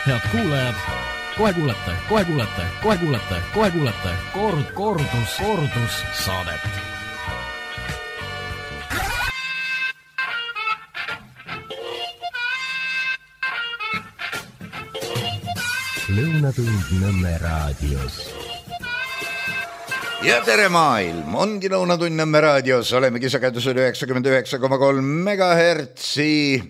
Head kuulajad, kohe kuulete kordus saadet. Lõunatund Nõmme raadios. Ja tere maailm, ongi Lõunatund Nõmme raadios, olemegi sagedusel 99,3 megahertsi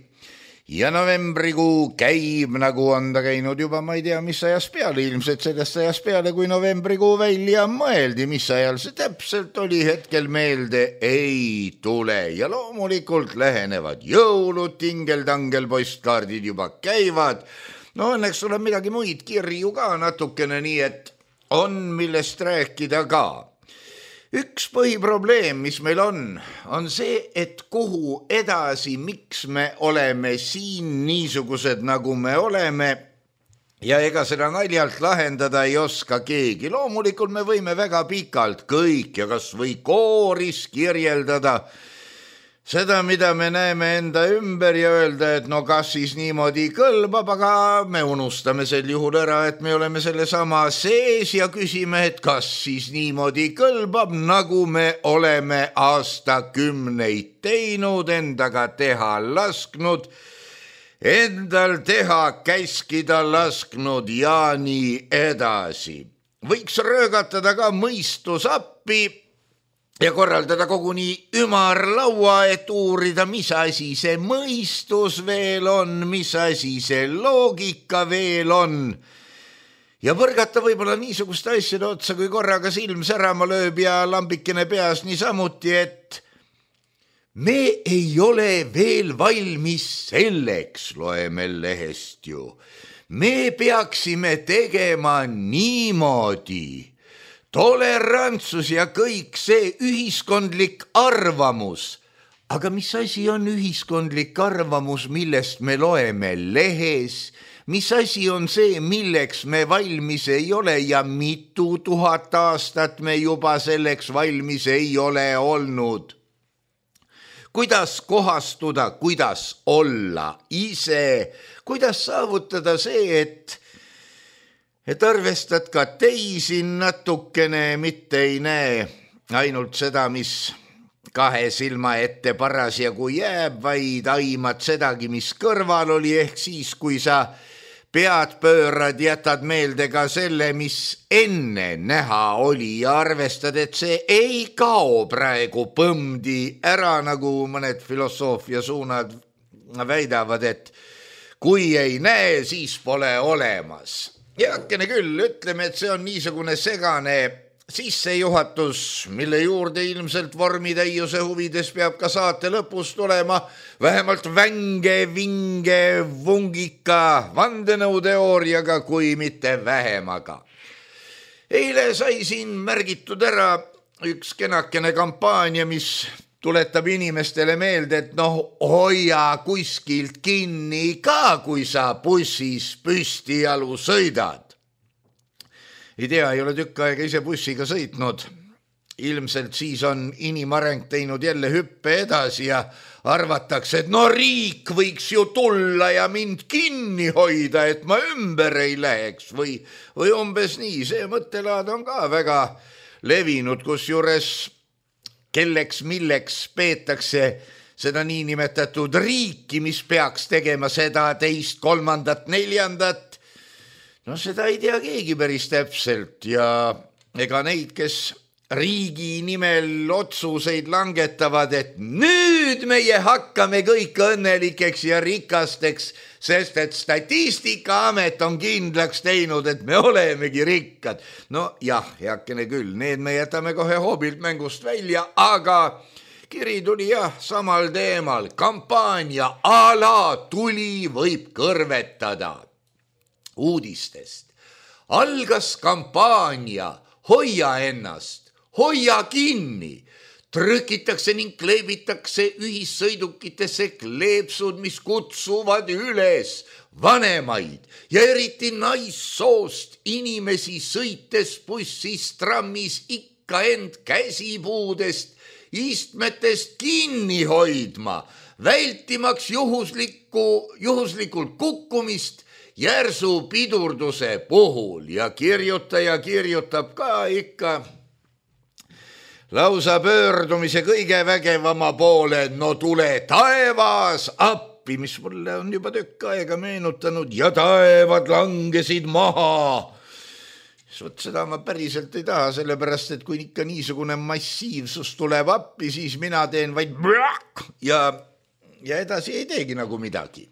ja novembrikuu käib, nagu on ta käinud juba, ma ei tea, mis ajas peale, ilmselt sellest ajas peale, kui novembrikuu välja mõeldi, mis ajal see täpselt oli, hetkel meelde ei tule ja loomulikult lähenevad jõulud, tingel-tangel postkaardid juba käivad. No õnneks tuleb midagi muid kirju ka natukene, nii et on millest rääkida ka. Üks põhiprobleem, mis meil on see, et kuhu edasi, miks me oleme siin niisugused, nagu me oleme, ja ega seda naljalt lahendada ei oska keegi. Loomulikult me võime väga pikalt kõik ja kas või kooris kirjeldada seda, mida me näeme enda ümber ja öelda, et no kas siis niimoodi kõlbab, aga me unustame sel juhul ära, et me oleme selle sama sees ja küsime, et kas siis niimoodi kõlbab, nagu me oleme aastakümneid teinud, endaga teha lasknud, endal teha käskida lasknud ja nii edasi. Võiks röögatada ka mõistusappi ja korraldada koguni ümarlaua, et uurida, mis asi see mõistus veel on, mis asi see loogika veel on. Ja põrgata võib-olla niisuguste asjade otsa, kui korraga silm särama lööb ja lambikene peas niisamuti, et me ei ole veel valmis selleks, loeme lehest ju. Me peaksime tegema niimoodi. Tolerantsus ja kõik see ühiskondlik arvamus. Aga mis asi on ühiskondlik arvamus, millest me loeme lehes? Mis asi on see, milleks me valmis ei ole ja mitu tuhat aastat me juba selleks valmis ei ole olnud? Kuidas kohastuda, kuidas olla ise? Kuidas saavutada see, et arvestad ka teisi natukene, mitte ei näe ainult seda, mis kahe silma ette parasjagu jääb, vaid aimad sedagi, mis kõrval oli, ehk siis, kui sa pead pöörad, jätad meelde ka selle, mis enne näha oli ja arvestad, et see ei kao praegu põmdi ära, nagu mõned filosoofia suunad väidavad, et kui ei näe, siis pole olemas. Heakene küll, ütleme, et see on niisugune segane sissejuhatus, mille juurde ilmselt vormitäiuse huvides peab ka saate lõpus tulema vähemalt vinge vungika vandenõuteooriaga, kui mitte vähemaga. Eile sai siin märgitud ära üks kenakene kampaania, mis tuletab inimestele meelde, et hoia kuskilt kinni ka, kui sa bussis püstijalu sõidad. Ei tea, ei ole tükk aega ise bussiga sõitnud. Ilmselt siis on inimareng teinud jälle hüppe edasi ja arvatakse, et riik võiks ju tulla ja mind kinni hoida, et ma ümber ei läheks või umbes nii. See mõttelaad on ka väga levinud, kus juures kelleks milleks peetakse seda niinimetatud riiki, mis peaks tegema seda, teist, kolmandat, neljandat. Seda ei tea keegi päris täpselt ja ega neid, kes riigi nimel otsuseid langetavad, et nüüd meie hakkame kõik õnnelikeks ja rikasteks, sest et Statistikaamet on kindlaks teinud, et me olemegi rikkad. Jah, heakene küll, need me jätame kohe hoobilt mängust välja, aga kiri tuli samal teemal. Kampaania ala tuli võib kõrvetada. Uudistest. Algas kampaania Hoia ennast, hoia kinni. Trükitakse ning kleebitakse ühissõidukitesse kleepsud, mis kutsuvad üles vanemaid ja eriti naissoost inimesi sõites bussis, trammis ikka end käsipuudest, istmetest kinni hoidma, vältimaks juhuslikult kukkumist järsu pidurduse puhul ja kirjutaja kirjutab ka ikka lausa pöördumise kõige vägevama poole, no tule taevas appi, mis mulle on juba tükk aega meenutanud ja taevad langesid maha. Vot seda ma päriselt ei taha, sellepärast, et kui ikka niisugune massiivsus tuleb appi, siis mina teen vaid ja edasi ei teegi nagu midagi.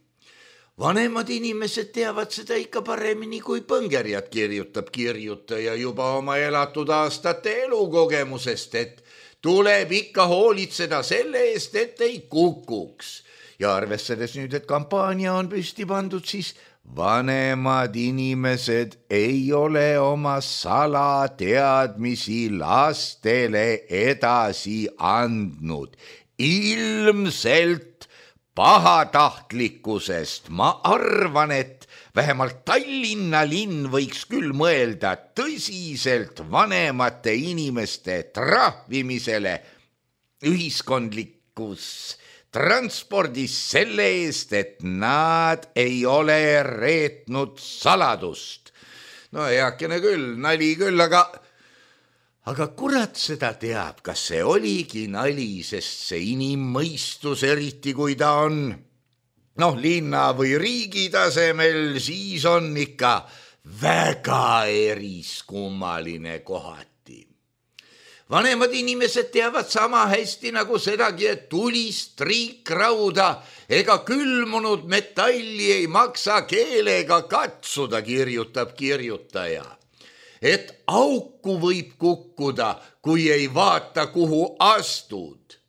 Vanemad inimesed teavad seda ikka paremini kui põngerjad, kirjutab kirjutaja juba oma elatud aastate elukogemusest, et tuleb ikka hoolitseda selle eest, et ei kukuks. Ja arvestades nüüd, et kampaania on püsti pandud, siis vanemad inimesed ei ole oma salateadmisi lastele edasi andnud. Ilmselt pahatahtlikkusest. Ma arvan, et vähemalt Tallinna linn võiks küll mõelda tõsiselt vanemate inimeste trahvimisele ühiskondlikus transpordis selle eest, et nad ei ole reetnud saladust. No heakene küll, nali küll, aga kurat seda teab, kas see oligi nali, sest see inimmõistus, eriti kui ta on linna või riigi tasemel, siis on ikka väga eriskummaline kohati. Vanemad inimesed teavad sama hästi nagu sedagi, et tulist triikrauda ega külmunud metalli ei maksa keelega katsuda, kirjutab kirjutaja. Et auku võib kukkuda, kui ei vaata, kuhu astud.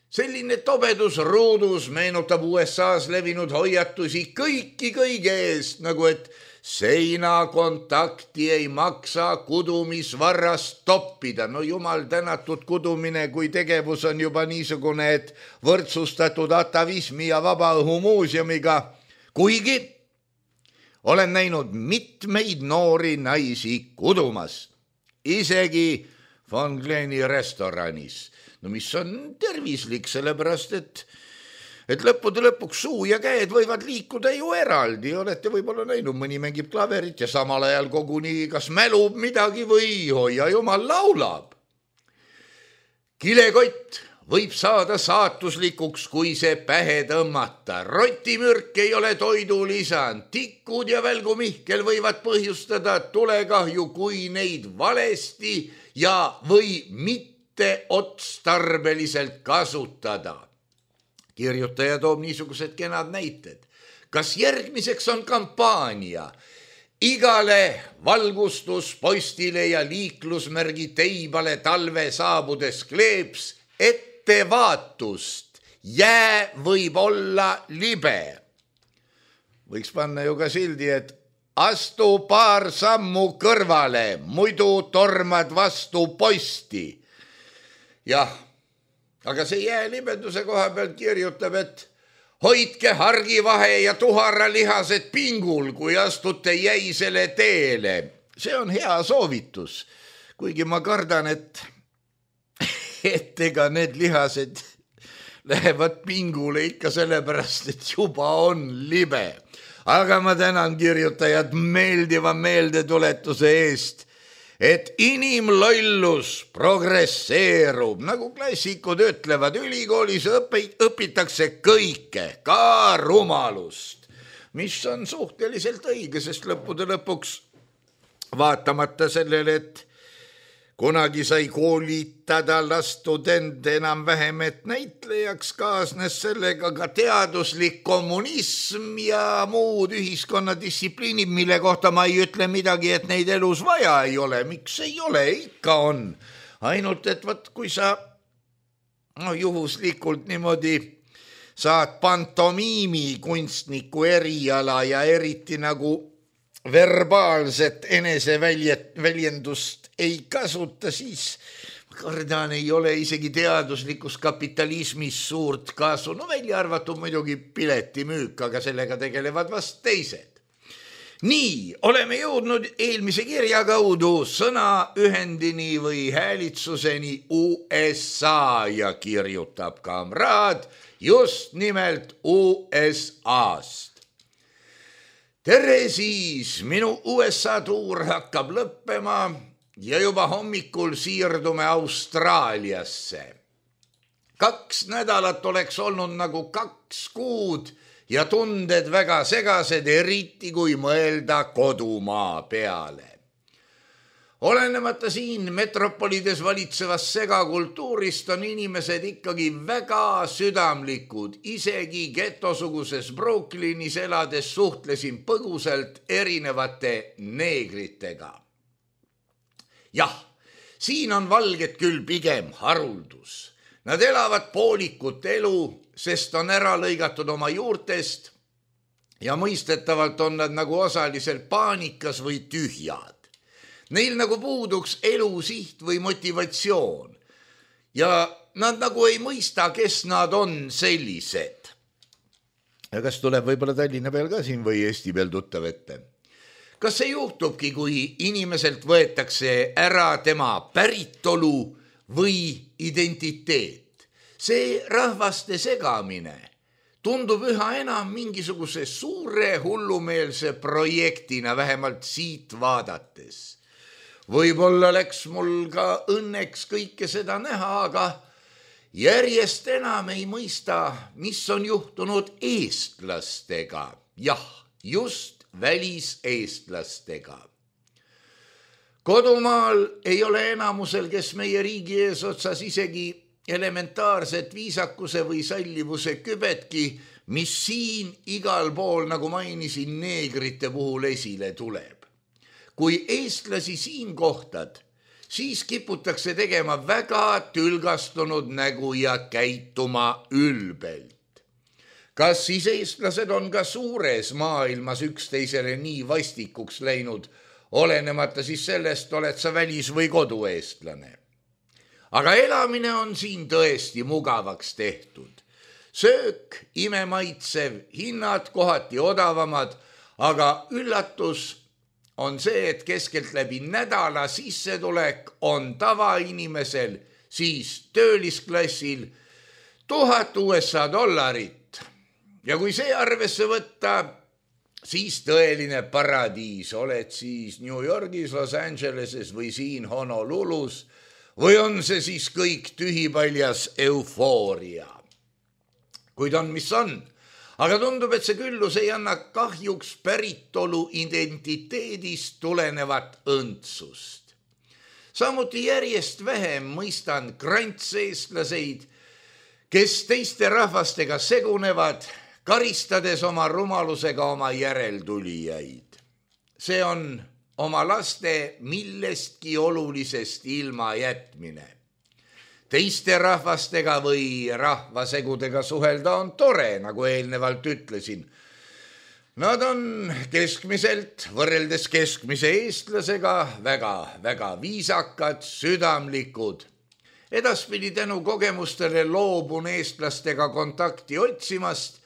Selline tobedus ruudus meenutab USA's levinud hoiatusi kõiki kõige eest, nagu et seinakontakti ei maksa kudumisvarrast toppida. No jumal tänatud, kudumine kui tegevus on juba niisugune, et võrdsustatud atavismi ja vabaõhumuuseumiga, kuigi olen näinud mitmeid noori naisi kudumas, isegi Von Gleni restoranis. No mis on tervislik, sellepärast, et lõppude lõpuks suu ja käed võivad liikuda ju eraldi. Olete võib-olla näinud, mõni mängib klaverit ja samal ajal koguni kas mälub midagi või hoia jumal laulab. Kilekott võib saada saatuslikuks, kui see pähe tõmmata. Rotimürk ei ole toidulisand. Tikud ja välgumihkel võivad põhjustada tulekahju, kui neid valesti ja või mitte otstarbeliselt kasutada. Kirjutaja toob niisugused kenad näited. Kas järgmiseks on kampaania? Igale valgustuspostile ja liiklusmärgi teibale talve saabudes kleeps ettevaatust. Jää võib olla libe. Võiks panna ju ka sildi, et astu paar sammu kõrvale, muidu tormad vastu posti. Jah. Aga see jäälibenduse koha pealt kirjutab, et hoidke hargivahe ja tuharalihased pingul, kui astute jäisele teele. See on hea soovitus, kuigi ma kardan, et ega need lihased lähevad pingule ikka sellepärast, et juba on libe. Aga ma tänan kirjutajad meeldiva meeldetuletuse eest, et inimlollus progresseerub, nagu klassikud ütlevad, ülikoolis õpitakse kõike, ka rumalust, mis on suhteliselt õige, sest lõppude lõpuks vaatamata sellele, et kunagi sai koolitada lastudent enam-vähem, et näitlejaks kaasnes sellega ka teaduslik kommunism ja muud ühiskonnadistsipliinid, mille kohta ma ei ütle midagi, et neid elus vaja ei ole. Miks ei ole? Ikka on. Ainult, et võt, kui sa juhuslikult niimoodi saad pantomiimi kunstniku eriala ja eriti nagu verbaalset eneseväljendust ei kasuta, siis kardan ei ole isegi teaduslikus kapitalismis suurt kasu. No välja arvatud muidugi piletimüük, aga sellega tegelevad vast teised. Nii, oleme jõudnud eelmise kirja kaudu sõnaühendini või häälitsuseni USA ja kirjutab kamraad just nimelt USA-st. tere siis, minu USA tuur hakkab lõppema ja juba hommikul siirdume Austraaliasse. 2 nädalat oleks olnud nagu 2 kuud ja tunded väga segased, eriti kui mõelda kodumaa peale. Olenemata siin metropolides valitsevast segakultuurist on inimesed ikkagi väga südamlikud. Isegi getosuguses Brooklynis elades suhtlesin põgusalt erinevate neegritega. Jah, siin on valged küll pigem haruldus. Nad elavad poolikut elu, sest on ära lõigatud oma juurtest ja mõistetavalt on nad nagu osaliselt paanikas või tühjad. Neil nagu puuduks elusiht või motivatsioon ja nad nagu ei mõista, kes nad on sellised. Ja kas tuleb võib-olla Tallinna peal ka siin või Eesti peal tuttav ette? Kas see juhtubki, kui inimeselt võetakse ära tema päritolu või identiteet? See rahvaste segamine tundub üha enam mingisuguse suure hullumeelse projektina, vähemalt siit vaadates. Võib-olla läks mul ka õnneks kõike seda näha, aga järjest enam ei mõista, mis on juhtunud eestlastega. Jah, just väliseestlastega. Kodumaal ei ole enamusel, kes meie riigi eesotsas isegi elementaarset viisakuse või sallivuse kübetki, mis siin igal pool, nagu mainisin, neegrite puhul esile tuleb. Kui eestlasi siin kohtad, siis kiputakse tegema väga tülgastunud nägu ja käituma ülbelt. Kas siis eestlased on ka suures maailmas üksteisele nii vastikuks läinud, olenemata siis sellest, oled sa välis- või kodueestlane? Aga elamine on siin tõesti mugavaks tehtud. Söök imemaitsev, hinnad kohati odavamad, aga üllatus on see, et keskelt läbi nädala sissetulek on tavainimesel, siis töölisklassil $1000 USA. Ja kui see arvesse võtta, siis tõeline paradiis. Oled siis New Yorgis, Los Angeleses või siin Honolulus või on see siis kõik tühipaljas eufooria? Kuid on, mis on. Aga tundub, et see küllus ei anna kahjuks päritolu identiteedist tulenevat õndsust. Samuti järjest vähem mõistan grantseestlaseid, kes teiste rahvastega segunevad, karistades oma rumalusega oma järeltulijaid. See on oma laste millestki olulisest ilma jätmine. Teiste rahvastega või rahvasegudega suhelda on tore, nagu eelnevalt ütlesin. Nad on keskmiselt, võrreldes keskmise eestlasega, väga viisakad, südamlikud. Edaspidi tänu kogemustele loobun eestlastega kontakti otsimast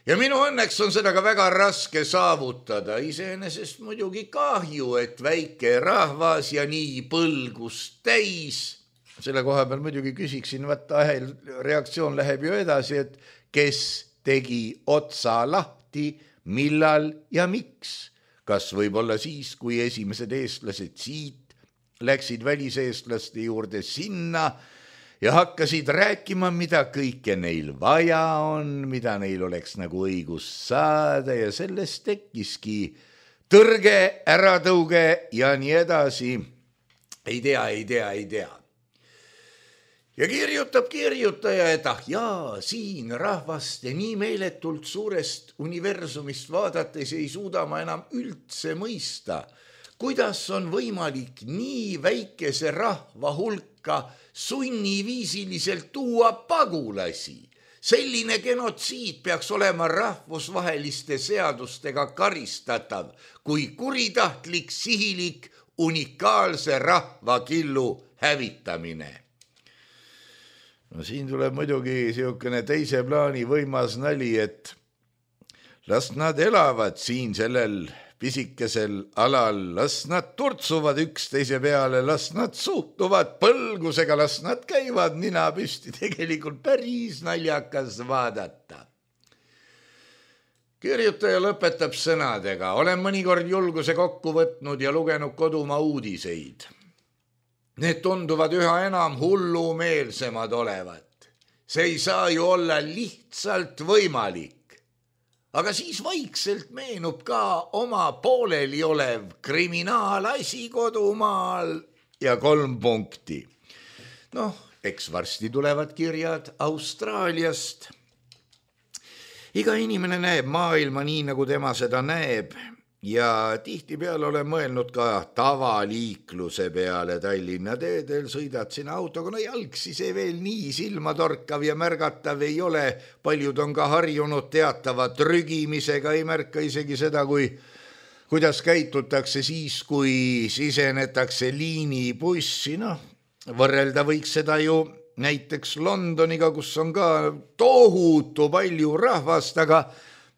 ja minu õnneks on seda ka väga raske saavutada. Iseenesest muidugi kahju, et väike rahvas ja nii põlgust täis. Selle koha peal muidugi küsiksin, reaktsioon läheb ju edasi, et kes tegi otsa lahti, millal ja miks. Kas võib-olla siis, kui esimesed eestlased siit läksid väliseestlaste juurde sinna ja hakkasid rääkima, mida kõike neil vaja on, mida neil oleks nagu õigus saada ja sellest tekkiski tõrge, äratõuge ja nii edasi. Ei tea. Ja kirjutab kirjutaja, et jaa, siin rahvaste nii meeletult suurest universumist vaadates ei suuda ma enam üldse mõista, kuidas on võimalik nii väikese rahva hulka sunniviisiliselt tuua pagulasi. Selline genotsiid peaks olema rahvusvaheliste seadustega karistatav, kui kuritahtlik, sihilik, unikaalse rahvakillu hävitamine. No siin tuleb muidugi siukene teise plaani võimas nali, et las nad elavad siin sellel pisikesel alal, las nad turtsuvad üksteise peale, las nad suhtuvad põlgusega, las nad käivad nina püsti, tegelikult päris naljakas vaadata. Kirjutaja lõpetab sõnadega. Olen mõnikord julguse kokku võtnud ja lugenud kodumaa uudiseid. Need tunduvad üha enam hullumeelsemad olevat. See ei saa ju olla lihtsalt võimalik. Aga siis vaikselt meenub ka oma pooleli olev kriminaalasi kodumaal ja 3 punkti. Eks varsti tulevad kirjad Austraaliast. Iga inimene näeb maailma nii, nagu tema seda näeb ja tihtipeale olen mõelnud ka tavaliikluse peale Tallinna teedel, sõidad sinna autoga, jalgsi see veel nii silmatorkav ja märgatav ei ole, paljud on ka harjunud teatava trügimisega, ei märka isegi seda, kuidas käitutakse siis, kui sisenetakse liinibussi, võrrelda võiks seda ju näiteks Londoniga, kus on ka tohutu palju rahvast, aga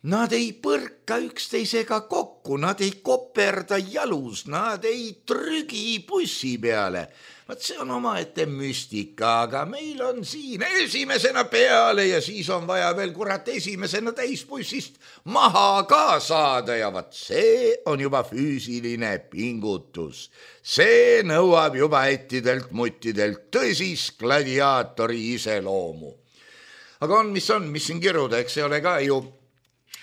nad ei põrka üksteisega kokku, nad ei koperda jalus, nad ei trügi bussi peale. Vaat see on omaette müstika, aga meil on siin esimesena peale ja siis on vaja veel esimesena täisbussist maha ka saada ja vaat see on juba füüsiline pingutus. See nõuab juba ettidelt muttidelt tõsist gladiaatori iseloomu. Aga mis siin kiruda, eks see ole ka ju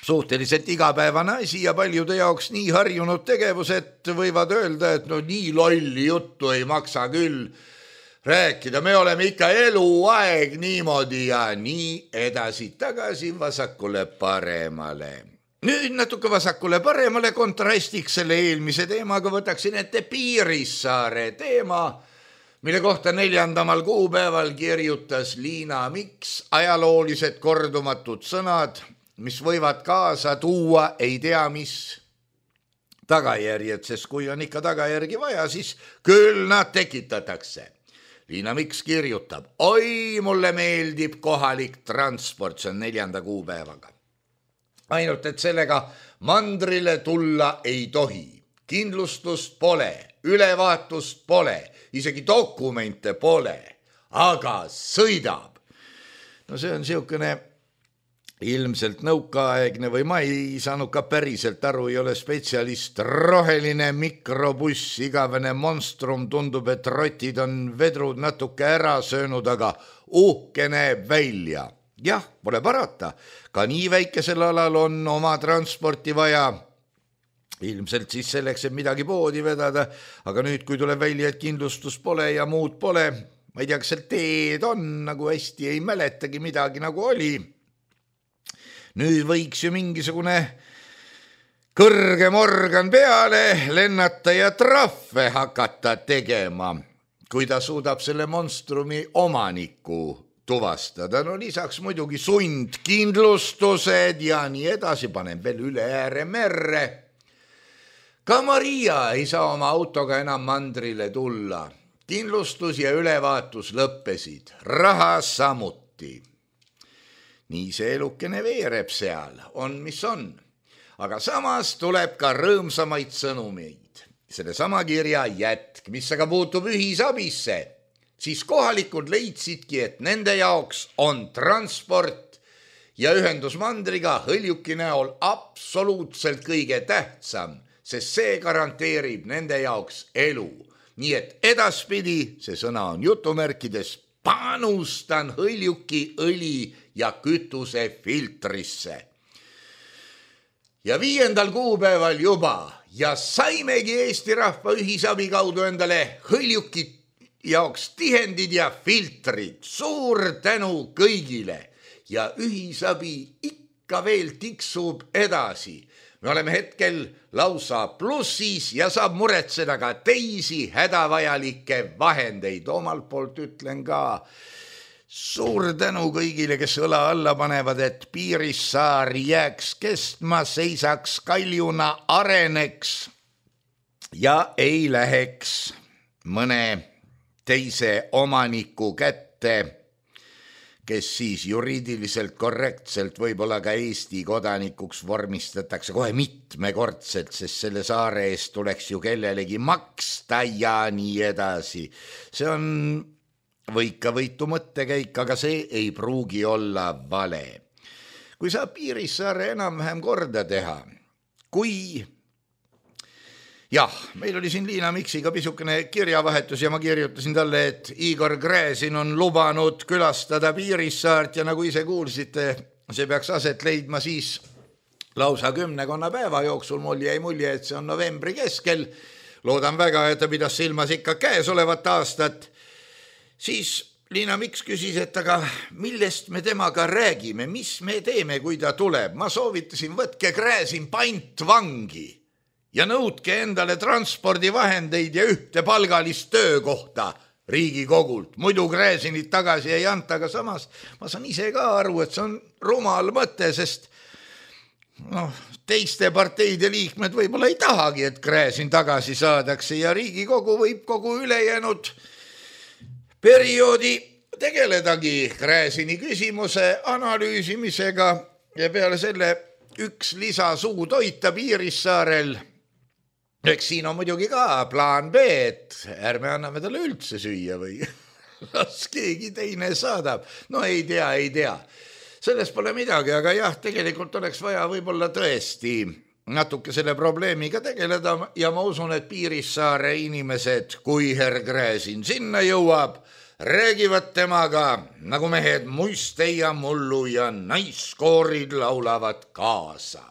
suhteliselt igapäevane asi ja paljude jaoks nii harjunud tegevus, et võivad öelda, et nii lolli juttu ei maksa küll rääkida. Me oleme ikka eluaeg niimoodi ja nii edasi-tagasi vasakule paremale. Nüüd natuke vasakule paremale kontrastiks selle eelmise teemaga võtaksin ette Piirissaare teema, mille kohta 4. kuupäeval kirjutas Liina Miks ajaloolised kordumatud sõnad, mis võivad kaasa tuua ei tea mis tagajärjed, sest kui on ikka tagajärgi vaja, siis küll nad tekitatakse. Liina Miks kirjutab, oi, mulle meeldib kohalik transport, see on 4. kuupäevaga. Ainult, et sellega mandrile tulla ei tohi. Kindlustust pole, ülevaatust pole, isegi dokumente pole, aga sõidab. See on siukene ilmselt nõukaaegne või ma ei saanud ka päriselt aru, ei ole spetsialist, roheline mikrobuss, igavene monstrum, tundub, et rotid on vedrud natuke ära söönud, aga uhke näeb välja. Jah, pole parata, ka nii väikesel alal on oma transporti vaja, ilmselt siis selleks, et midagi poodi vedada, aga nüüd, kui tuleb välja, et kindlustus pole ja muud pole, ma ei tea, kas seal teed on, nagu hästi ei mäletagi midagi nagu oli. Nüüd võiks ju mingisugune kõrgem organ peale lennata ja trahve hakata tegema, kui ta suudab selle monstrumi omaniku tuvastada. Lisaks muidugi sundkindlustused ja nii edasi, panen veel üle ääre merre. Ka Maria ei saa oma autoga enam mandrile tulla. Kindlustus ja ülevaatus lõppesid, raha samuti. Nii see elukene veereb seal, on mis on. Aga samas tuleb ka rõõmsamaid sõnumeid. Selle sama kirja jätk, mis aga puutub ühisabisse, siis kohalikud leidsidki, et nende jaoks on transport ja ühendus mandriga Hõljuki näol absoluutselt kõige tähtsam, sest see garanteerib nende jaoks elu. Nii et edaspidi, see sõna on jutumärkides, panustan Hõljuki õli ja kütuse filtrisse. Ja 5. kuupäeval juba ja saimegi Eesti rahva ühisabi kaudu endale Hõljuki jaoks tihendid ja filtrid. Suur tänu kõigile ja ühisabi ikka veel tiksub edasi. Me oleme hetkel lausa plussis ja saab muretseda ka teisi hädavajalikke vahendeid. Omalt poolt ütlen ka suur tänu kõigile, kes õla alla panevad, et Piirissaar jääks kestma, seisaks kaljuna, areneks ja ei läheks mõne teise omaniku kätte, kes siis juriidiliselt korrektselt võib-olla ka Eesti kodanikuks vormistatakse kohe mitmekordselt, sest selle saare eest tuleks ju kellelegi maksta ja nii edasi. See on võika võitu mõttekäik, aga see ei pruugi olla vale. kui saab Piirissaare enam-vähem korda teha, kui jah, meil oli siin Liina Miksiga pisukene kirjavahetus ja ma kirjutasin talle, et Igor Gräzin on lubanud külastada Piirissaart ja nagu ise kuulsite, see peaks aset leidma siis lausa 10 päeva jooksul. Mul jäi mulje, et see on novembri keskel. Loodan väga, et ta pidas silmas ikka käesolevat aastat. Siis Liina Miks küsis, et aga millest me temaga räägime, mis me teeme, kui ta tuleb. Ma soovitasin, võtke Gräzin pantvangi ja nõudke endale transpordivahendeid ja ühte palgalist töökohta Riigikogult. Muidu Gräzinit tagasi ei anta, aga samas ma saan ise ka aru, et see on rumal mõte, sest teiste parteide liikmed võib-olla ei tahagi, et Gräzin tagasi saadakse ja Riigikogu võib kogu ülejäänud perioodi tegeledagi Gräzini küsimuse analüüsimisega ja peale selle üks lisasuu toita Piirissaarel. Eks siin on muidugi ka plaan B, et ärme anname talle üldse süüa või las keegi teine saadab. No ei tea. Sellest pole midagi, aga jah, tegelikult oleks vaja võib-olla tõesti natuke selle probleemiga tegeleda ja ma usun, et Piirissaare inimesed, kui herr Gräzin sinna jõuab, räägivad temaga nagu mehed muiste ja mullu ja naiskoorid laulavad kaasa.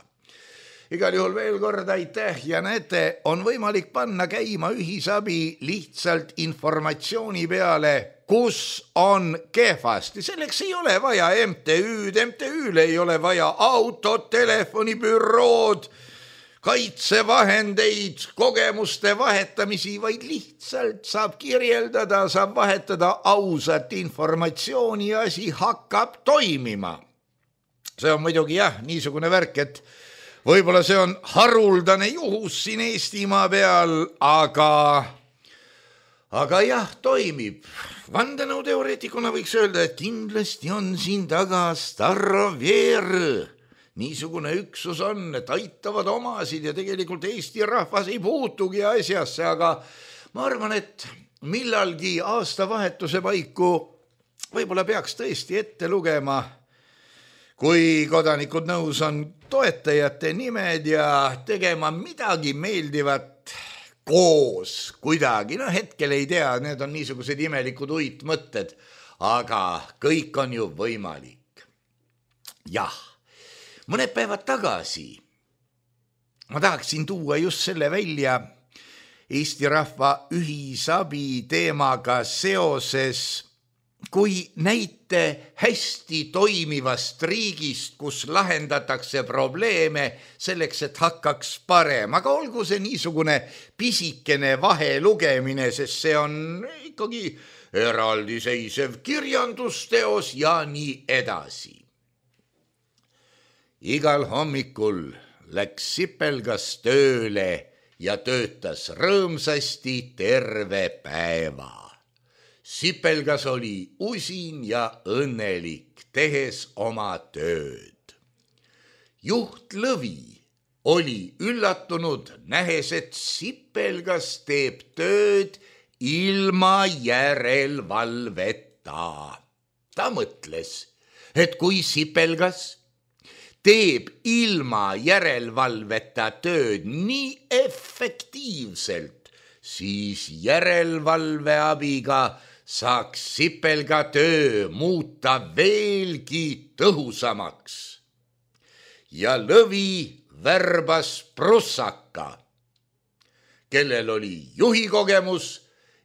Igal juhul veel kord aitäh ja näete, on võimalik panna käima ühisabi lihtsalt informatsiooni peale, kus on kehvasti. Selleks ei ole vaja MTÜ-l ei ole vaja autot, telefonibürood, kaitsevahendeid, kogemuste vahetamisi, vaid lihtsalt saab kirjeldada, saab vahetada ausat informatsiooni ja asi hakkab toimima. See on muidugi niisugune värk, et võib-olla see on haruldane juhus siin Eestimaa peal, aga jah, toimib. Vandenõuteoreetikuna võiks öelda, et kindlasti on siin taga Staroveer. Niisugune üksus on, et aitavad omasid ja tegelikult Eesti rahvas ei puutugi asjasse, aga ma arvan, et millalgi aastavahetuse paiku võib-olla peaks tõesti ette lugema, kui kodanikud nõus on toetajate nimed ja tegema midagi meeldivat koos kuidagi. Hetkel ei tea, need on niisugused imelikud uitmõtted, aga kõik on ju võimalik. Jah, mõned päevad tagasi ma tahaksin tuua just selle välja Eesti rahva ühisabi teemaga seoses, kui näite hästi toimivast riigist, kus lahendatakse probleeme selleks, et hakkaks parem. Aga olgu see niisugune pisikene vahelugemine, sest see on ikkagi eraldiseisev kirjandusteos ja nii edasi. Igal hommikul läks Sipelgas tööle ja töötas rõõmsasti terve päeva. Sipelgas oli usin ja õnnelik, tehes oma tööd. Juht Lõvi oli üllatunud, nähes, et Sipelgas teeb tööd ilma järelevalveta. Ta mõtles, et kui Sipelgas teeb ilma järelevalveta tööd nii efektiivselt, siis järelevalve abiga saaks Sipelga töö muuta veelgi tõhusamaks. Ja Lõvi värbas Prussaka, kellel oli juhikogemus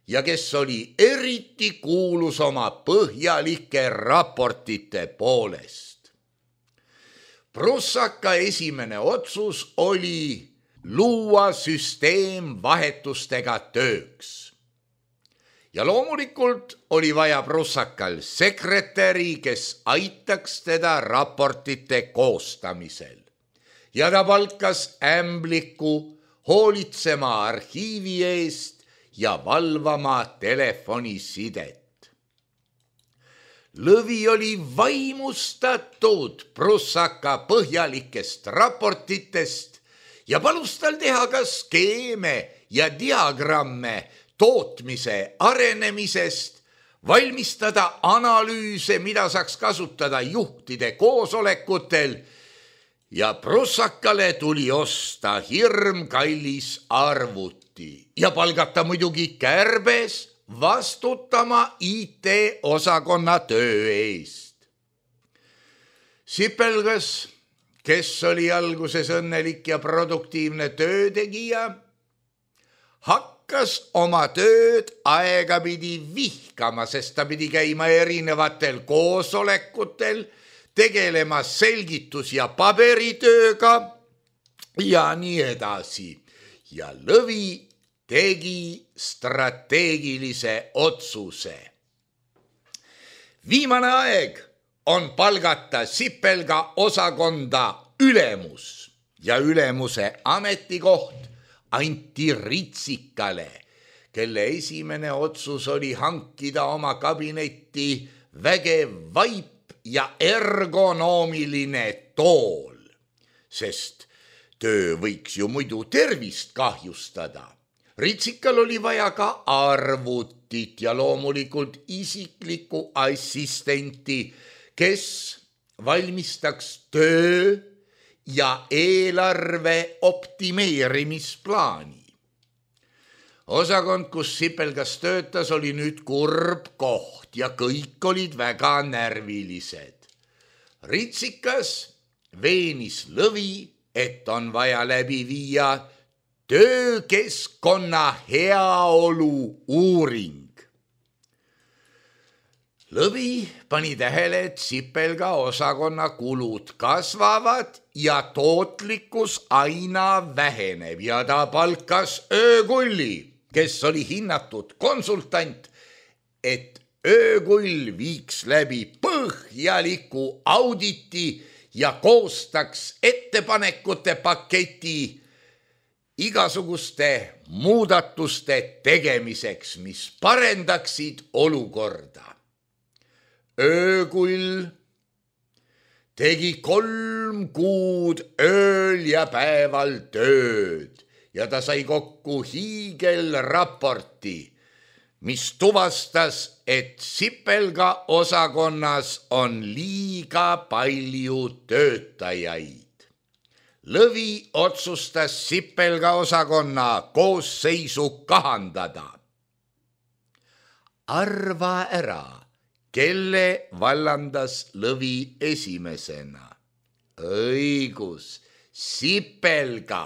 ja kes oli eriti kuulus oma põhjalike raportite poolest. Prussaka esimene otsus oli luua süsteem vahetustega tööks. Ja loomulikult oli vaja Prussakal sekretäri, kes aitaks teda raportite koostamisel. Ja ta palkas ämbliku hoolitsema arhiivi eest ja valvama telefonisidet. Lõvi oli vaimustatud Prussaka põhjalikest raportitest ja palus tal teha ka skeeme ja diagramme tootmise arenemisest, valmistada analüüse, mida saaks kasutada juhtide koosolekutel ja prussakale tuli osta hirmkallis arvuti ja palgata muidugi kärbes vastutama IT-osakonna töö eest. Sipelgas, kes oli alguses õnnelik ja produktiivne töötegija, hakkas oma tööd aegapidi vihkama, sest ta pidi käima erinevatel koosolekutel, tegelema selgitus- ja paberitööga ja nii edasi. Ja Lõvi tegi strateegilise otsuse. Viimane aeg on palgata Sipelga osakonda ülemus ja ülemuse ametikoht anti Ritsikale, kelle esimene otsus oli hankida oma kabinetti vägev vaip ja ergonoomiline tool, sest töö võiks ju muidu tervist kahjustada. Ritsikal oli vaja ka arvutit ja loomulikult isiklikku assistenti, kes valmistaks töö ja eelarve optimeerimisplaani. Osakond, kus Sipelgas töötas, oli nüüd kurb koht ja kõik olid väga närvilised. Ritsikas veenis Lõvi, et on vaja läbi viia töökeskkonna heaolu uuring. Lõvi pani tähele, et Sipelga osakonna kulud kasvavad ja tootlikkus aina väheneb ja ta palkas öökulli, kes oli hinnatud konsultant, et öökull viiks läbi põhjaliku auditi ja koostaks ettepanekute paketi igasuguste muudatuste tegemiseks, mis parendaksid olukorda. Öökull tegi 3 kuud ööl ja päeval tööd ja ta sai kokku hiigelraporti, mis tuvastas, et Sipelga osakonnas on liiga palju töötajaid. Lõvi otsustas Sipelga osakonna koosseisu kahandada. Arva ära, kelle vallandas Lõvi esimesena. Õigus, Sipelga,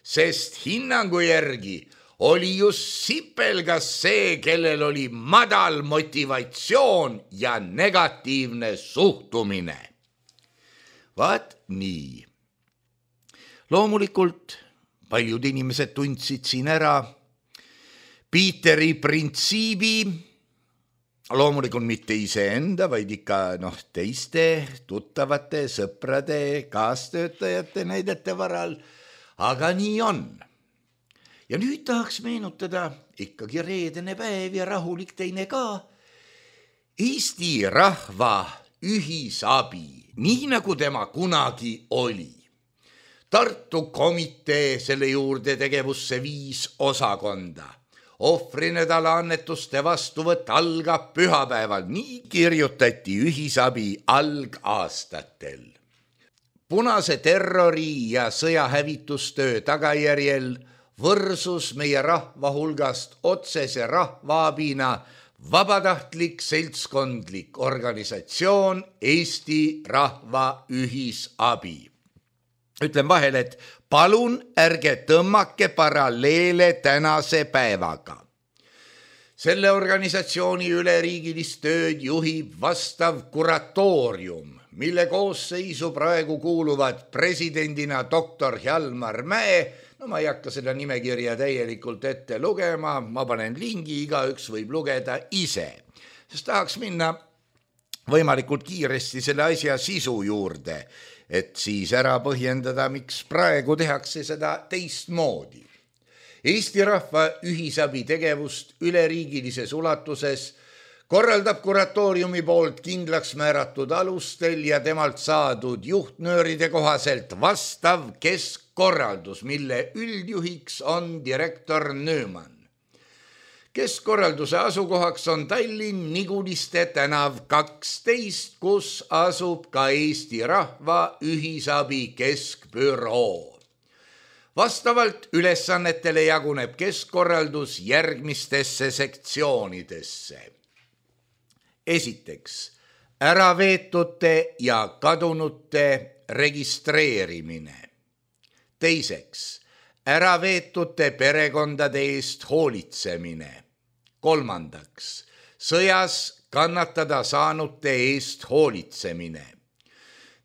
sest hinnangu järgi oli just Sipelgas see, kellel oli madal motivatsioon ja negatiivne suhtumine. Vaat nii. Loomulikult paljud inimesed tundsid siin ära Piiteri printsiibi, loomulikult mitte iseenda, vaid ikka teiste tuttavate, sõprade, kaastöötajate näidete varal, aga nii on. Ja nüüd tahaks meenutada ikkagi reedene päev ja rahulik teine ka. Eesti rahva ühisabi, nii nagu tema kunagi oli. Tartu komitee selle juurde tegevusse 5 osakonda. Ohvrinädala annetuste vastuvõtt algab pühapäeval, nii kirjutati ühisabi algaastatel. Punase terrori ja sõjahävitustöö tagajärjel võrsus meie rahva hulgast otsese rahvaabina vabatahtlik seltskondlik organisatsioon Eesti Rahva Ühisabi. Ütlen vahel, et palun ärge tõmmake paralleele tänase päevaga. Selle organisatsiooni üleriigilist tööd juhib vastav kuratoorium, mille koosseisu praegu kuuluvad presidendina doktor Hjalmar Mäe. Ma ei hakka seda nimekirja täielikult ette lugema, ma panen lingi, igaüks võib lugeda ise, sest tahaks minna võimalikult kiiresti selle asja sisu juurde, et siis ära põhjendada, miks praegu tehakse seda teistmoodi. Eesti Rahva Ühisabi tegevust üleriigilises ulatuses korraldab kuratooriumi poolt kindlaks määratud alustel ja temalt saadud juhtnööride kohaselt vastav keskkorraldus, mille üldjuhiks on direktor Nööman. Keskkorralduse asukohaks on Tallinn Niguliste tänav 12, kus asub ka Eesti Rahva Ühisabi Keskbüroo. Vastavalt ülesannetele jaguneb keskkorraldus järgmistesse sektsioonidesse. Esiteks, äraveetute ja kadunute registreerimine. Teiseks, äraveetute perekondade eest hoolitsemine. Kolmandaks, sõjas kannatada saanute eest hoolitsemine.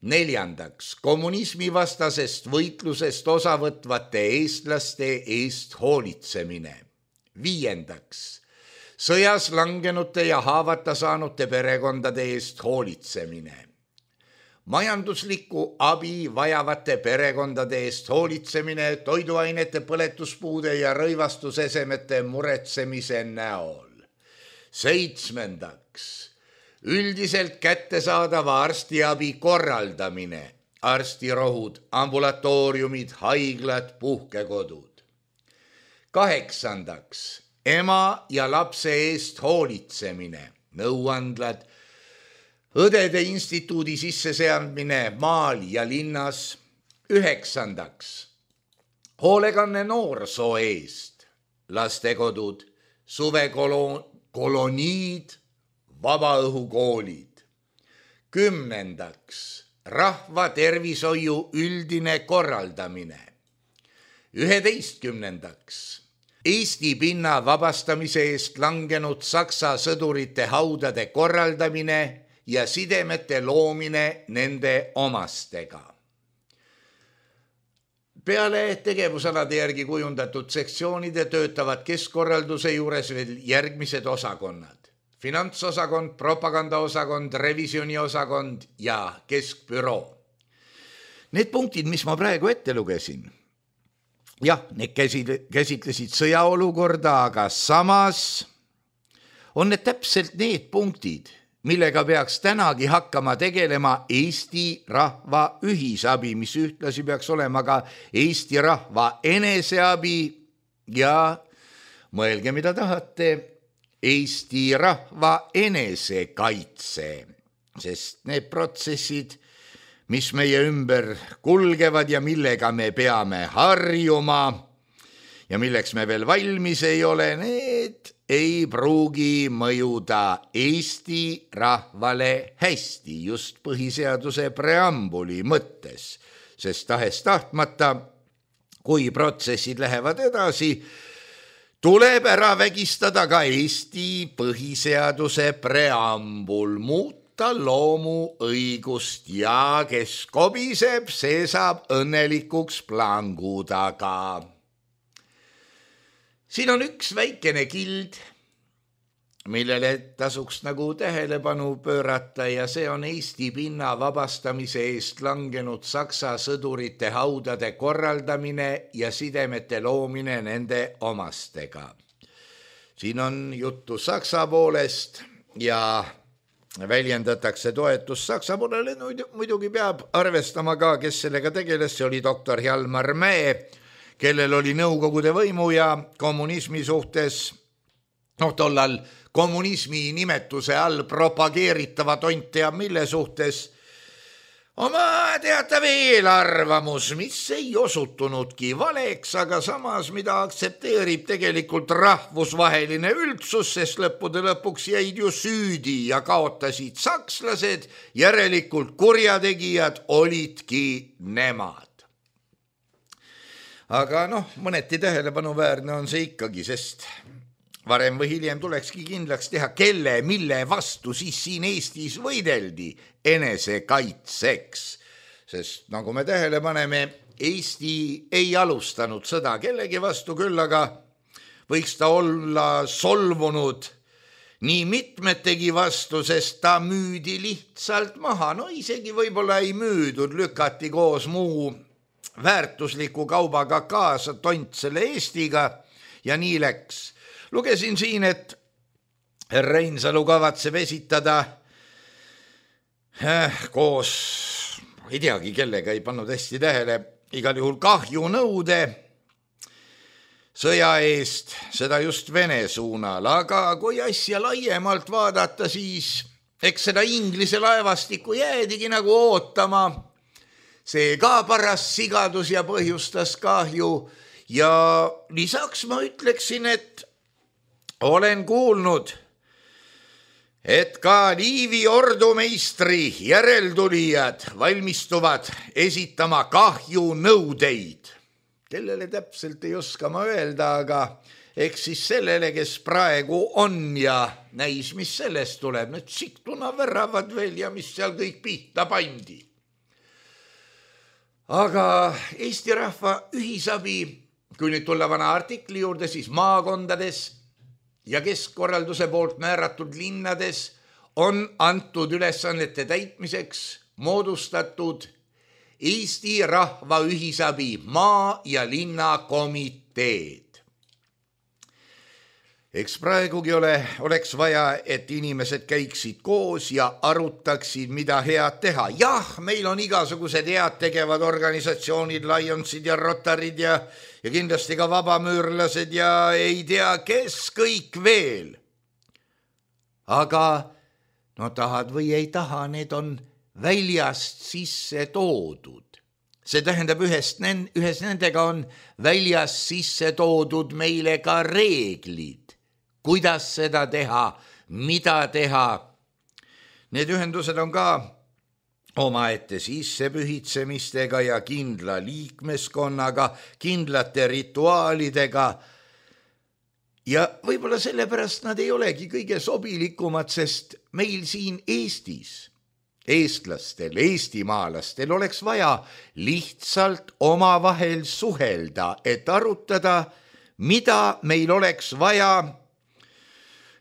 Neljandaks, kommunismivastasest võitlusest osavõtvate eestlaste eest hoolitsemine. Viiendaks, sõjas langenute ja haavata saanute perekondade eest hoolitsemine. Majanduslikku abi vajavate perekondade eest hoolitsemine toiduainete, põletuspuude ja rõivastusesemete muretsemise näol. Seitsmendaks, üldiselt kättesaadava arstiabi korraldamine, arstirohud, ambulatooriumid, haiglad, puhkekodud. Kaheksandaks, ema ja lapse eest hoolitsemine, nõuandlad, õdede instituudi sisseseadmine maal ja linnas. Üheksandaks, hoolekanne noorsoo eest, lastekodud, suvekoloniid, vabaõhukoolid. Kümnendaks, rahva tervishoiu üldine korraldamine. 11. Eesti pinna vabastamise eest langenud Saksa sõdurite haudade korraldamine ja sidemete loomine nende omastega. Peale tegevusalade järgi kujundatud sektsioonide töötavad keskkorralduse juures veel järgmised osakonnad. Finantsosakond, propagandaosakond, revisjoniosakond ja keskbüroo. Need punktid, mis ma praegu ette lugesin, jah, need käsitlesid sõjaolukorda, aga samas on need täpselt need punktid, millega peaks tänagi hakkama tegelema Eesti Rahva Ühisabi, mis ühtlasi peaks olema ka Eesti Rahva Eneseabi ja mõelge, mida tahate, Eesti Rahva Enesekaitse, sest need protsessid, mis meie ümber kulgevad ja millega me peame harjuma ja milleks me veel valmis ei ole, need ei pruugi mõjuda Eesti rahvale hästi just põhiseaduse preambuli mõttes, sest tahes tahtmata, kui protsessid lähevad edasi, tuleb ära vägistada ka Eesti põhiseaduse preambul, muuta loomu õigust ja kes kobiseb, see saab õnnelikuks plangu taga. Siin on üks väikene kild, millele tasuks nagu tähelepanu pöörata ja see on Eesti pinna vabastamise eest langenud Saksa sõdurite haudade korraldamine ja sidemete loomine nende omastega. Siin on juttu Saksa poolest ja väljendatakse toetust Saksa poolele, muidugi peab arvestama ka, kes sellega tegeles, see oli doktor Hjalmar Mäe, kellel oli nõukogude võimu ja kommunismi suhtes, tollal kommunismi nimetuse all propageeritava tont teab mille suhtes, oma teatav eelarvamus, mis ei osutunudki valeks, aga samas, mida aktsepteerib tegelikult rahvusvaheline üldsus, sest lõppude lõpuks jäid ju süüdi ja kaotasid sakslased, järelikult kurjategijad olidki nemad. Aga mõneti tähelepanuväärne on see ikkagi, sest varem või hiljem tulekski kindlaks teha, kelle, mille vastu siis siin Eestis võideldi enesekaitseks. Sest nagu me tähele paneme, Eesti ei alustanud sõda kellegi vastu, küll aga võiks ta olla solvunud nii mitmetegi vastu, sest ta müüdi lihtsalt maha. Isegi võib-olla ei müüdud, lükati koos muu väärtusliku kaubaga kaasa tont selle Eestiga ja nii läks. Lugesin siin, et Reinsalu kavatseb esitada koos, ei teagi kellega, ei pannud hästi tähele, igal juhul kahjunõude sõja eest, seda just Vene suunal, aga kui asja laiemalt vaadata, siis eks seda Inglise laevastikku jäädigi nagu ootama. See ka paras sigadus ja põhjustas kahju ja lisaks ma ütleksin, et olen kuulnud, et ka Liivi ordumeistri järeltulijad valmistuvad esitama kahjunõudeid. Kellele täpselt ei oska ma öelda, aga eks siis sellele, kes praegu on ja näis, mis sellest tuleb. Need siktuna väravad veel ja mis seal kõik pihta pandi. Aga Eesti rahva ühisabi, kui nüüd tulla vana artikli juurde, siis maakondades ja keskkorralduse poolt määratud linnades on antud ülesannete täitmiseks moodustatud Eesti rahva ühisabi maa- ja linnakomiteed. Eks praegugi oleks vaja, et inimesed käiksid koos ja arutaksid, mida head teha. Jah, meil on igasugused head tegevad organisatsioonid, Lionsid ja Rotarid ja kindlasti ka vabamüürlased ja ei tea, kes kõik veel. Aga no tahad või ei taha, need on väljast sisse toodud. See tähendab, ühes nendega on väljast sisse toodud meile ka reeglid, kuidas seda teha, mida teha. Need ühendused on ka omaette sissepühitsemistega ja kindla liikmeskonnaga, kindlate rituaalidega. Ja võib-olla sellepärast nad ei olegi kõige sobilikumad, sest meil siin Eestis eestlastel, eestimaalastel oleks vaja lihtsalt omavahel suhelda, et arutada, mida meil oleks vaja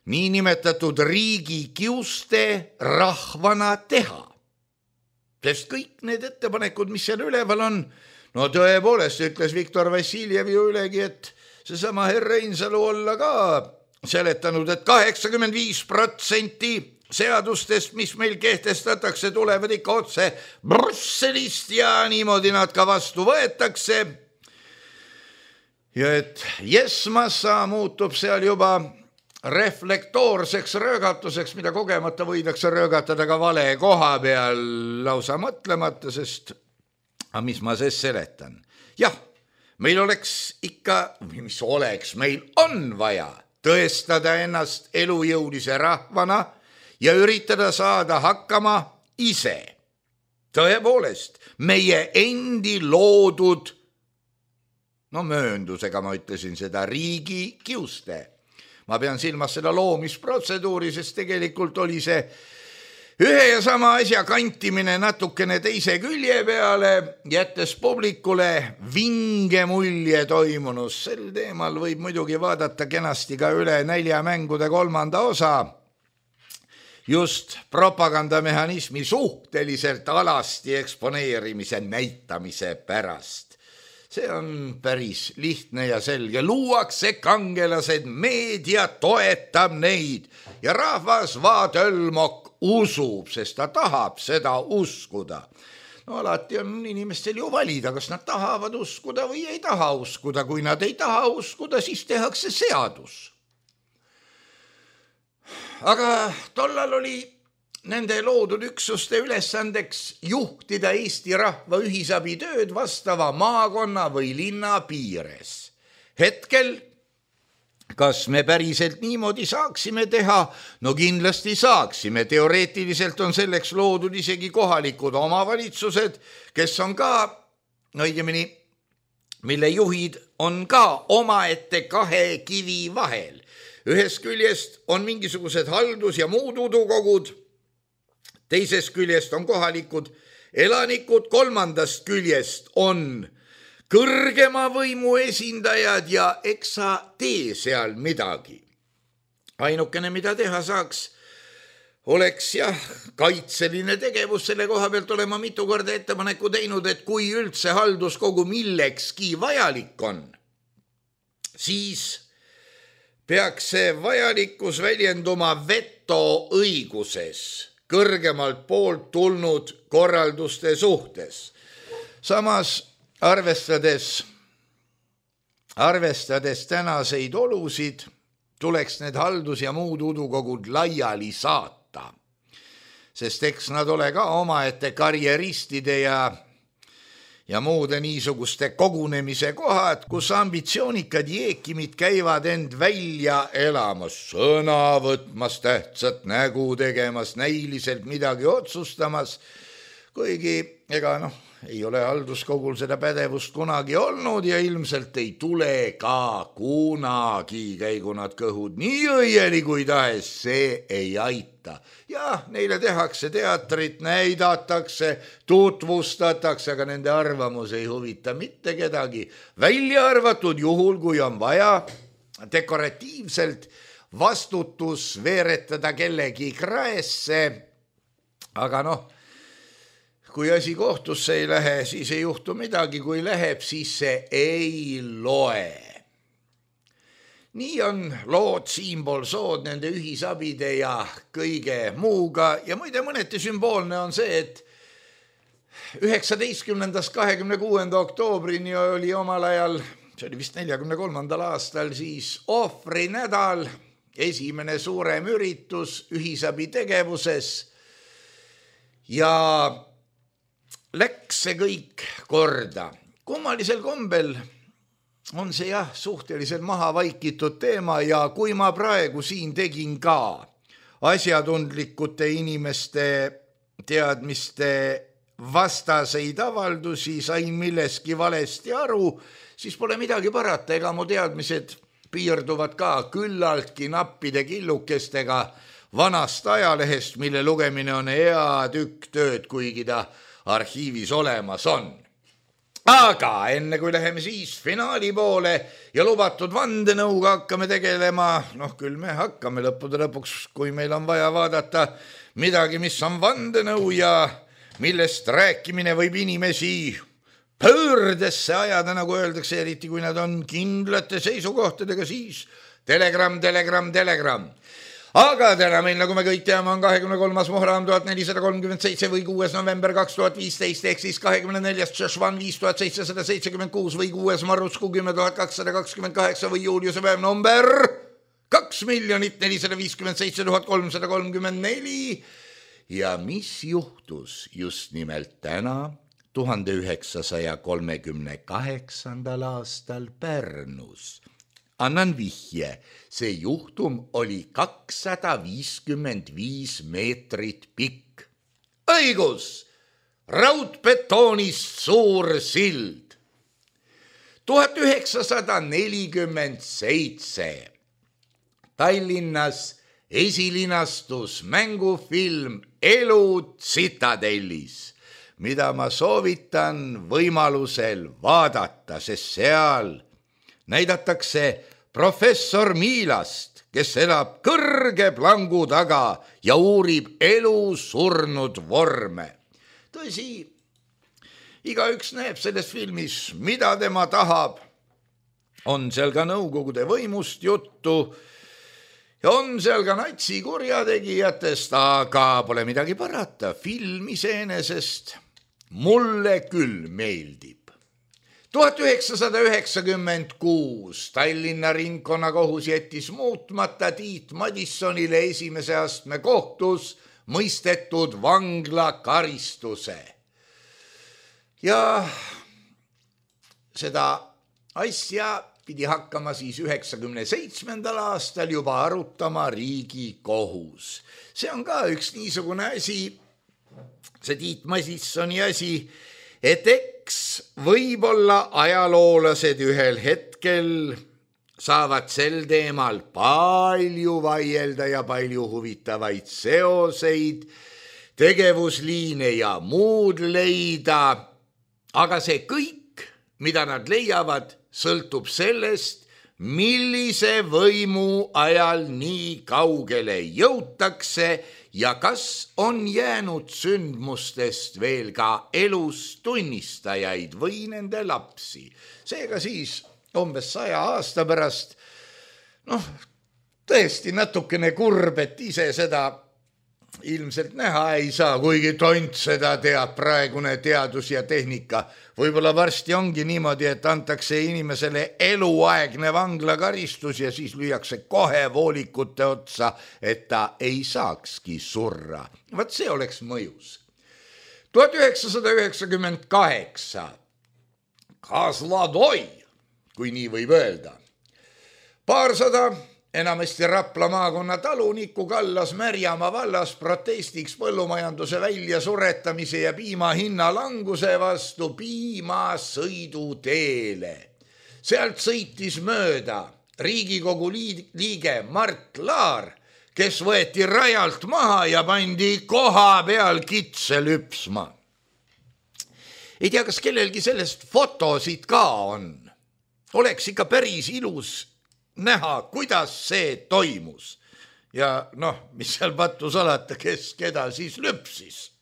niinimetatud riigi kiuste rahvana teha. Sest kõik need ettepanekud, mis seal üleval on, no tõepoolest ütles Viktor Vassiljev ju ülegi, et seesama herr Reinsalu olla ka seletanud, et 85% seadustest, mis meil kehtestatakse, tulevad ikka otse Brüsselist ja niimoodi nad ka vastu võetakse. Ja et Jesmassa muutub seal juba reflektoorseks röögatuseks, mida kogemata võidakse röögatada ka vale koha peal lausa mõtlemata, sest mis ma siis seletan? Jah, meil oleks ikka, meil on vaja tõestada ennast elujõulise rahvana ja üritada saada hakkama ise. Tõepoolest, meie endi loodud, mööndusega ma ütlesin seda, riigi kiuste. Ma pean silmas seda loomisprotseduuri, sest tegelikult oli see ühe ja sama asja kantimine natukene teise külje peale, jättes publikule vinge mulje toimunus. Sel teemal võib muidugi vaadata kenasti ka üle Näljamängude 3. osa, just propagandamehhanismi suhteliselt alasti eksponeerimise näitamise pärast. See on päris lihtne ja selge. Luuakse kangelased, meedia toetab neid ja rahvas vaatölmok usub, sest ta tahab seda uskuda. No alati on inimestel ju valida, kas nad tahavad uskuda või ei taha uskuda. Kui nad ei taha uskuda, siis tehakse seadus. Aga tollal oli nende loodud üksuste ülesandeks juhtida Eesti rahva ühisabi tööd vastava maakonna või linna piires. Hetkel, kas me päriselt niimoodi saaksime teha? No kindlasti saaksime. Teoreetiliselt on selleks loodud isegi kohalikud omavalitsused, kes on ka, õigemini, mille juhid on ka omaette kahe kivi vahel. Ühest küljest on mingisugused haldus- ja muud udukogud, teisest küljest on kohalikud elanikud, kolmandast küljest on kõrgema võimu esindajad ja eks sa tee seal midagi. Ainukene, mida teha saaks, oleks kaitseline tegevus. Selle koha pealt olema mitu korda ettepaneku teinud, et kui üldse halduskogu millekski vajalik on, siis peaks see vajalikkus väljenduma vetoõiguses kõrgemalt poolt tulnud korralduste suhtes. Samas arvestades arvestades tänaseid olusid, tuleks need haldus- ja muud udukogud laiali saata, sest eks nad ole ka omaette karjeristide ja muude niisuguste kogunemise kohad, kus ambitsioonikad jeekimid käivad end välja elamas, sõna võtmas, tähtsat nägu tegemas, näiliselt midagi otsustamas, kuigi ega ei ole halduskogul seda pädevust kunagi olnud ja ilmselt ei tule ka kunagi, käigu nad kõhud nii õieli kui tahes, see ei aita. Ja neile tehakse teatrit, näidatakse, tutvustatakse, aga nende arvamus ei huvita mitte kedagi. Välja arvatud juhul, kui on vaja dekoratiivselt vastutus veeretada kellegi kraesse, aga kui asi kohtusse ei lähe, siis ei juhtu midagi, kui läheb, siis see ei loe. Nii on lood siinpool sood nende ühisabide ja kõige muuga ja muide mõneti sümboolne on see, et 19. 26. oktoobrini oli omal ajal, see oli vist 43. aastal, siis ohvrinädal, esimene suurem üritus ühisabi tegevuses ja läks see kõik korda. Kummalisel kombel on see suhteliselt maha vaikitud teema ja kui ma praegu siin tegin ka asjatundlikute inimeste teadmiste vastaseid avaldusi, sain milleski valesti aru, siis pole midagi parata, ega mu teadmised piirduvad ka küllaltki nappide killukestega vanast ajalehest, mille lugemine on hea tükk tööd, kuigi ta arhiivis olemas on. Aga enne kui läheme siis finaali poole ja lubatud vandenõuga hakkame tegelema, küll me hakkame lõppude lõpuks, kui meil on vaja vaadata midagi, mis on vandenõu ja millest rääkimine võib inimesi pöördesse ajada, nagu öeldakse, eriti kui nad on kindlate seisukohtadega, siis telegramm. Aga täna meil, nagu me kõik teame, on 23. Muhram 1437 või 6. november 2015 ehk siis 24. Tšešvan 5776 või 6. Marusku 10228 või Juliuse päev number 2 457 334. Ja mis juhtus just nimelt täna 1938. aastal Pärnus? Annan vihje, see juhtum oli 255 meetrit pikk. Õigus, raudbetoonist suur sild. 1947 Tallinnas esilinastus mängufilm Elu Tsitadellis, mida ma soovitan võimalusel vaadata, sest seal näidatakse professor Miilast, kes elab kõrge plangu taga ja uurib elu surnud vorme. Tõsi, igaüks näeb selles filmis, mida tema tahab. On seal ka Nõukogude võimust juttu ja on seal ka natsi kurjategijatest, aga pole midagi parata. Film iseenesest mulle küll meeldib. 1996 Tallinna ringkonnakohus jättis muutmata Tiit Madissonile esimese astme kohtus mõistetud vanglakaristuse. Ja seda asja pidi hakkama siis 97. aastal juba arutama Riigikohus. See on ka üks niisugune asi, see Tiit Madissoni asi, et eks võib-olla ajaloolased ühel hetkel saavad sel teemal palju vaielda ja palju huvitavaid seoseid, tegevusliine ja muud leida, aga see kõik, mida nad leiavad, sõltub sellest, millise võimu ajal nii kaugele jõutakse ja kas on jäänud sündmustest veel ka elus tunnistajaid või nende lapsi. Seega siis umbes 100 aasta pärast, tõesti natukene kurb, et ise seda ilmselt näha ei saa, kuigi tont seda teab praegune teadus ja tehnika. Võib-olla varsti ongi niimoodi, et antakse inimesele eluaegne vanglakaristus ja siis lüüakse kohe voolikute otsa, et ta ei saakski surra. Vaat see oleks mõjus. 1998 Kazladoi, kui nii võib öelda. Paarsada enamasti Rapla maakonna talunikku kallas Märjamaa vallas protestiks põllumajanduse väljasuretamise ja piima hinna languse vastu piimasõiduteele. Sealt sõitis mööda Riigikogu liige Mart Laar, kes võeti rajalt maha ja pandi koha peal kitse lüpsma. Ei tea, kas kellelgi sellest fotosid ka on. Oleks ikka päris ilus näha, kuidas see toimus. Ja mis seal pattu salata, kes keda siis lüpsis.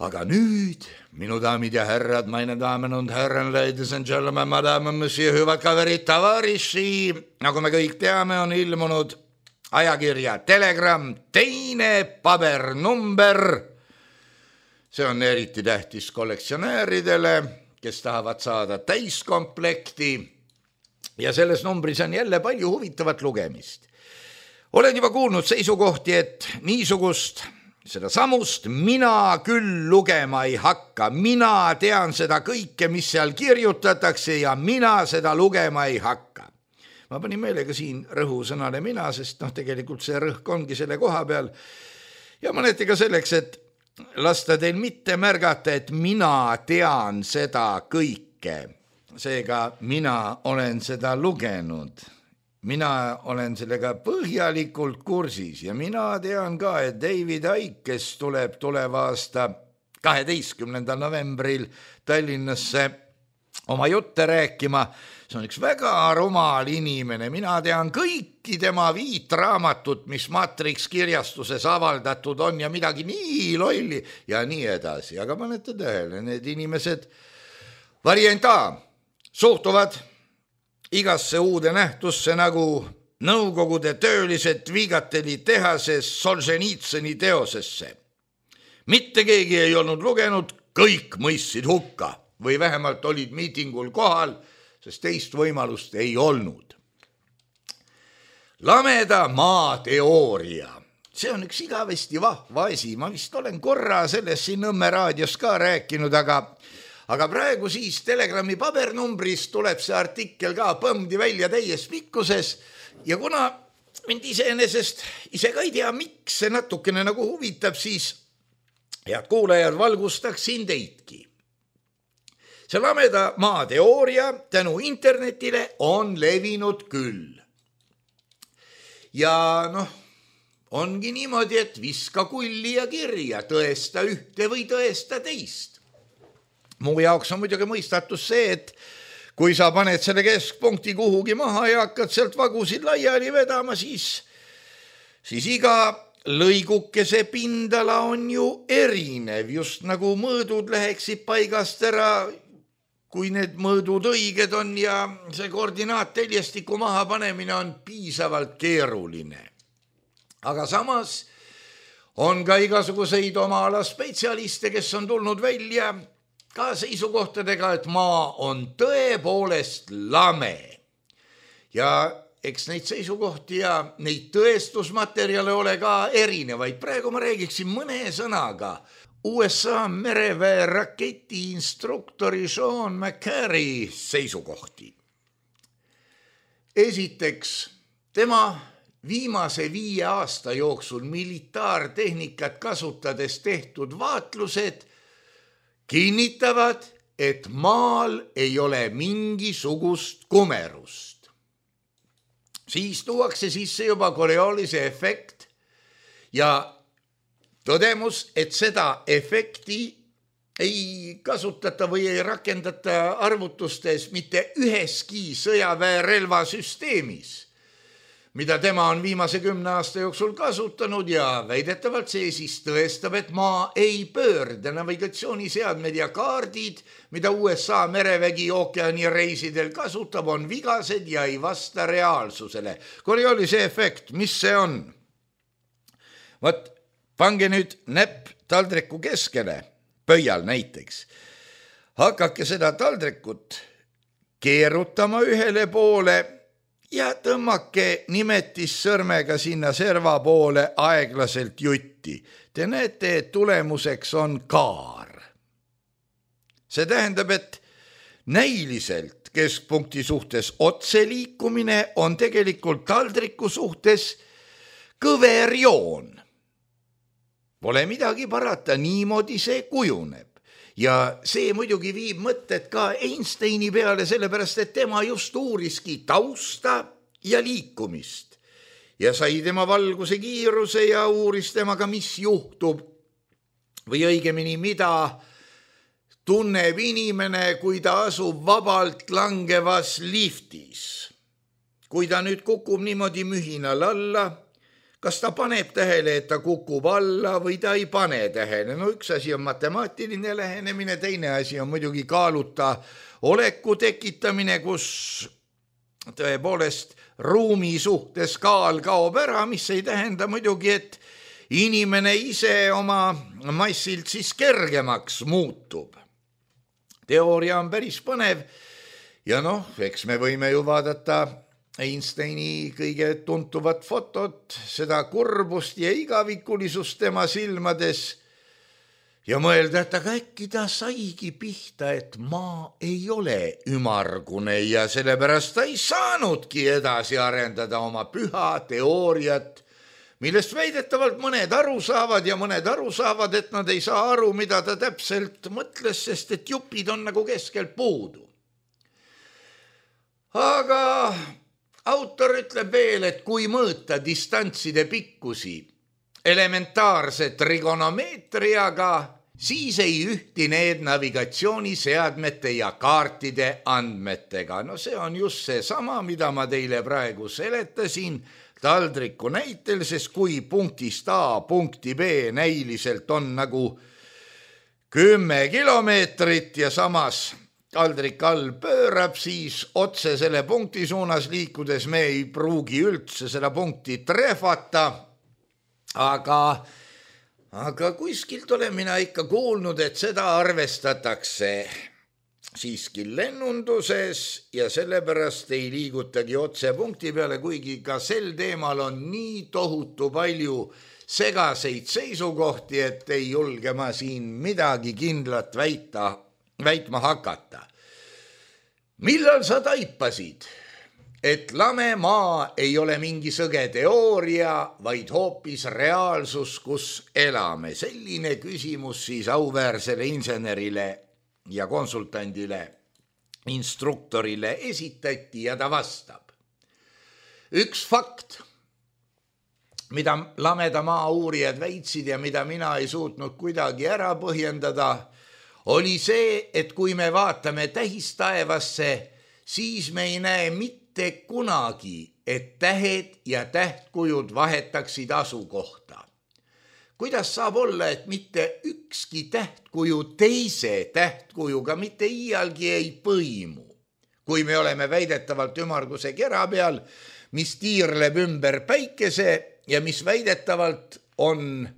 Aga nüüd, minu daamid ja härrad, meine damen und herren, ladies and gentlemen, madame, monsieur, hüvad kaverid, tavariši, nagu me kõik teame, on ilmunud ajakirja Telegram teine pabernumber. See on eriti tähtis kollektsionääridele, kes tahavad saada täiskomplekti. Ja selles numbris on jälle palju huvitavat lugemist. Olen juba kuulnud seisukohti, et niisugust, seda samust mina küll lugema ei hakka. Mina tean seda kõike, mis seal kirjutatakse ja mina seda lugema ei hakka. Ma panin meelega siin rõhusõnale mina, sest tegelikult see rõhk ongi selle koha peal. Ja mõneti ka selleks, et lasta teil mitte märgata, et mina tean seda kõike. Seega mina olen seda lugenud, mina olen sellega põhjalikult kursis ja mina tean ka, et David Icke, kes tuleb tuleva aasta 12. novembril Tallinnasse oma jutte rääkima, see on üks väga rumal inimene, mina tean kõiki tema 5 raamatut, mis Matrix kirjastuses avaldatud on ja midagi nii lolli ja nii edasi, aga panete tähele, need inimesed varianta suhtuvad igasse uude nähtusse nagu Nõukogude töölised Viigateli tehases Solženitsõni teosesse. Mitte keegi ei olnud lugenud, kõik mõistsid hukka või vähemalt olid miitingul kohal, sest teist võimalust ei olnud. Lameda maa teooria. See on üks igavesti vahva asi. Ma vist olen korra sellest siin Nõmme raadios ka rääkinud, aga praegu siis Telegrami pabernumbris tuleb see artikkel ka põmdi välja täies pikkuses ja kuna mind iseenesest ise ka ei tea, miks see natukene nagu huvitab, siis head kuulajad, valgustaksin teidki. See lameda maa teooria tänu internetile on levinud küll. Ja ongi niimoodi, et viska kulli ja kirja, tõesta ühte või tõesta teist. Mu jaoks on muidugi mõistatus see, et kui sa paned selle keskpunkti kuhugi maha ja hakkad sealt vagusid laiali vedama, siis iga lõigukese pindala on ju erinev, just nagu mõõdud läheksid paigast ära, kui need mõõdud õiged on ja see koordinaatteljestiku maha panemine on piisavalt keeruline. Aga samas on ka igasuguseid oma ala spetsialiste, kes on tulnud välja ka seisukohtadega, et maa on tõepoolest lame. Ja eks neid seisukohti ja neid tõestusmaterjale ole ka erinevaid. Praegu ma räägiksin mõne sõnaga USA mereväe raketi instruktori Sean McCarry seisukohti. Esiteks, tema viimase 5 aasta jooksul militaartehnikat kasutades tehtud vaatlused kinnitavad, et maal ei ole mingisugust kumerust. Siis tuuakse sisse juba Coriolis'e efekt ja tõdemus, et seda efekti ei kasutata või ei rakendata arvutustes mitte üheski sõjaväerelvasüsteemis, mida tema on viimase 10 aasta jooksul kasutanud ja väidetavalt see siis tõestab, et maa ei pöörde. Navigatsiooniseadmed ja kaardid, mida USA merevägi ookeanireisidel kasutab, on vigased ja ei vasta reaalsusele. Coriolis'e efekt, mis see on? Vot, pange nüüd näpp taldriku keskele, pöial näiteks. Hakake seda taldrikut keerutama ühele poole ja tõmmake nimetissõrmega sinna serva poole aeglaselt jutti. Te näete, et tulemuseks on kaar. See tähendab, et näiliselt keskpunkti suhtes otseliikumine on tegelikult taldriku suhtes kõver joon. Pole midagi parata, niimoodi see kujuneb. Ja see muidugi viib mõtted ka Einsteini peale, sellepärast et tema just uuriski tausta ja liikumist. Ja sai tema valguse kiiruse ja uuris temaga, mis juhtub või õigemini, mida tunneb inimene, kui ta asub vabalt langevas liftis. Kui ta nüüd kukub niimoodi mühinal alla, kas ta paneb tähele, et ta kukub alla või ta ei pane tähele? No üks asi on matemaatiline lähenemine, teine asi on muidugi kaaluta oleku tekitamine, kus tõepoolest ruumi suhtes kaal kaob ära, mis ei tähenda muidugi, et inimene ise oma massilt siis kergemaks muutub. Teooria on päris põnev ja eks me võime ju vaadata Einsteini kõige tuntuvat fotot, seda kurbust ja igavikulisust tema silmades ja mõelda, et aga äkki ta saigi pihta, et maa ei ole ümargune ja sellepärast ta ei saanudki edasi arendada oma püha teooriat, millest väidetavalt mõned aru saavad ja mõned aru saavad, et nad ei saa aru, mida ta täpselt mõtles, sest et jupid on nagu keskel puudu. Aga autor ütleb veel, et kui mõõta distantside pikkusi elementaarse trigonomeetriaga, siis ei ühti need navigatsiooniseadmete ja kaartide andmetega. See on just see sama, mida ma teile praegu seletasin taldriku näitel, sest kui punktist A punkti B näiliselt on nagu 10 kilomeetrit ja samas taldrik all pöörab, siis otse selle punkti suunas liikudes me ei pruugi üldse seda punkti trehvata, aga kuskilt olen mina ikka kuulnud, et seda arvestatakse siiski lennunduses ja sellepärast ei liigutagi otse punkti peale, kuigi ka sel teemal on nii tohutu palju segaseid seisukohti, et ei julge ma siin midagi kindlat väitma hakata. Millal sa taipasid, et lame maa ei ole mingi sõge teooria, vaid hoopis reaalsus, kus elame? Selline küsimus siis auväärsele insenerile ja konsultandile, instruktorile esitati ja ta vastab. Üks fakt, mida lameda maa uurijad väitsid ja mida mina ei suutnud kuidagi ära põhjendada, oli see, et kui me vaatame tähistaevasse, siis me ei näe mitte kunagi, et tähed ja tähtkujud vahetaksid asukohta. Kuidas saab olla, et mitte ükski tähtkuju teise tähtkujuga mitte iialgi ei põimu? Kui me oleme väidetavalt ümmarguse kera peal, mis tiirleb ümber päikese ja mis väidetavalt on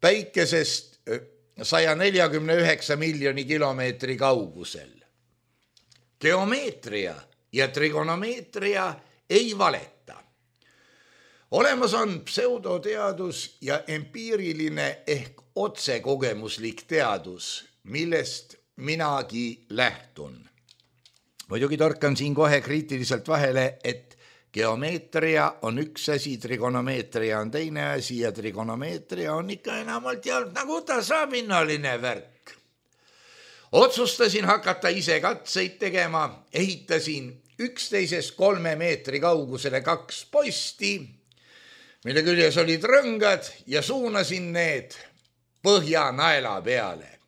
päikesest 149 miljoni kilomeetri kaugusel. Geomeetria ja trigonomeetria ei valeta. Olemas on pseudoteadus ja empiiriline ehk otsekogemuslik teadus, millest minagi lähtun. Muidugi torkan siin kohe kriitiliselt vahele, et geomeetria on üks asi, trigonomeetria on teine asi ja trigonomeetria on ikka enamalt jaolt nagu tasapinnaline värk. Otsustasin hakata ise katseid tegema, ehitasin 11-3 meetri kaugusele 2 posti, mille küljes olid rõngad ja suunasin need Põhjanaela peale.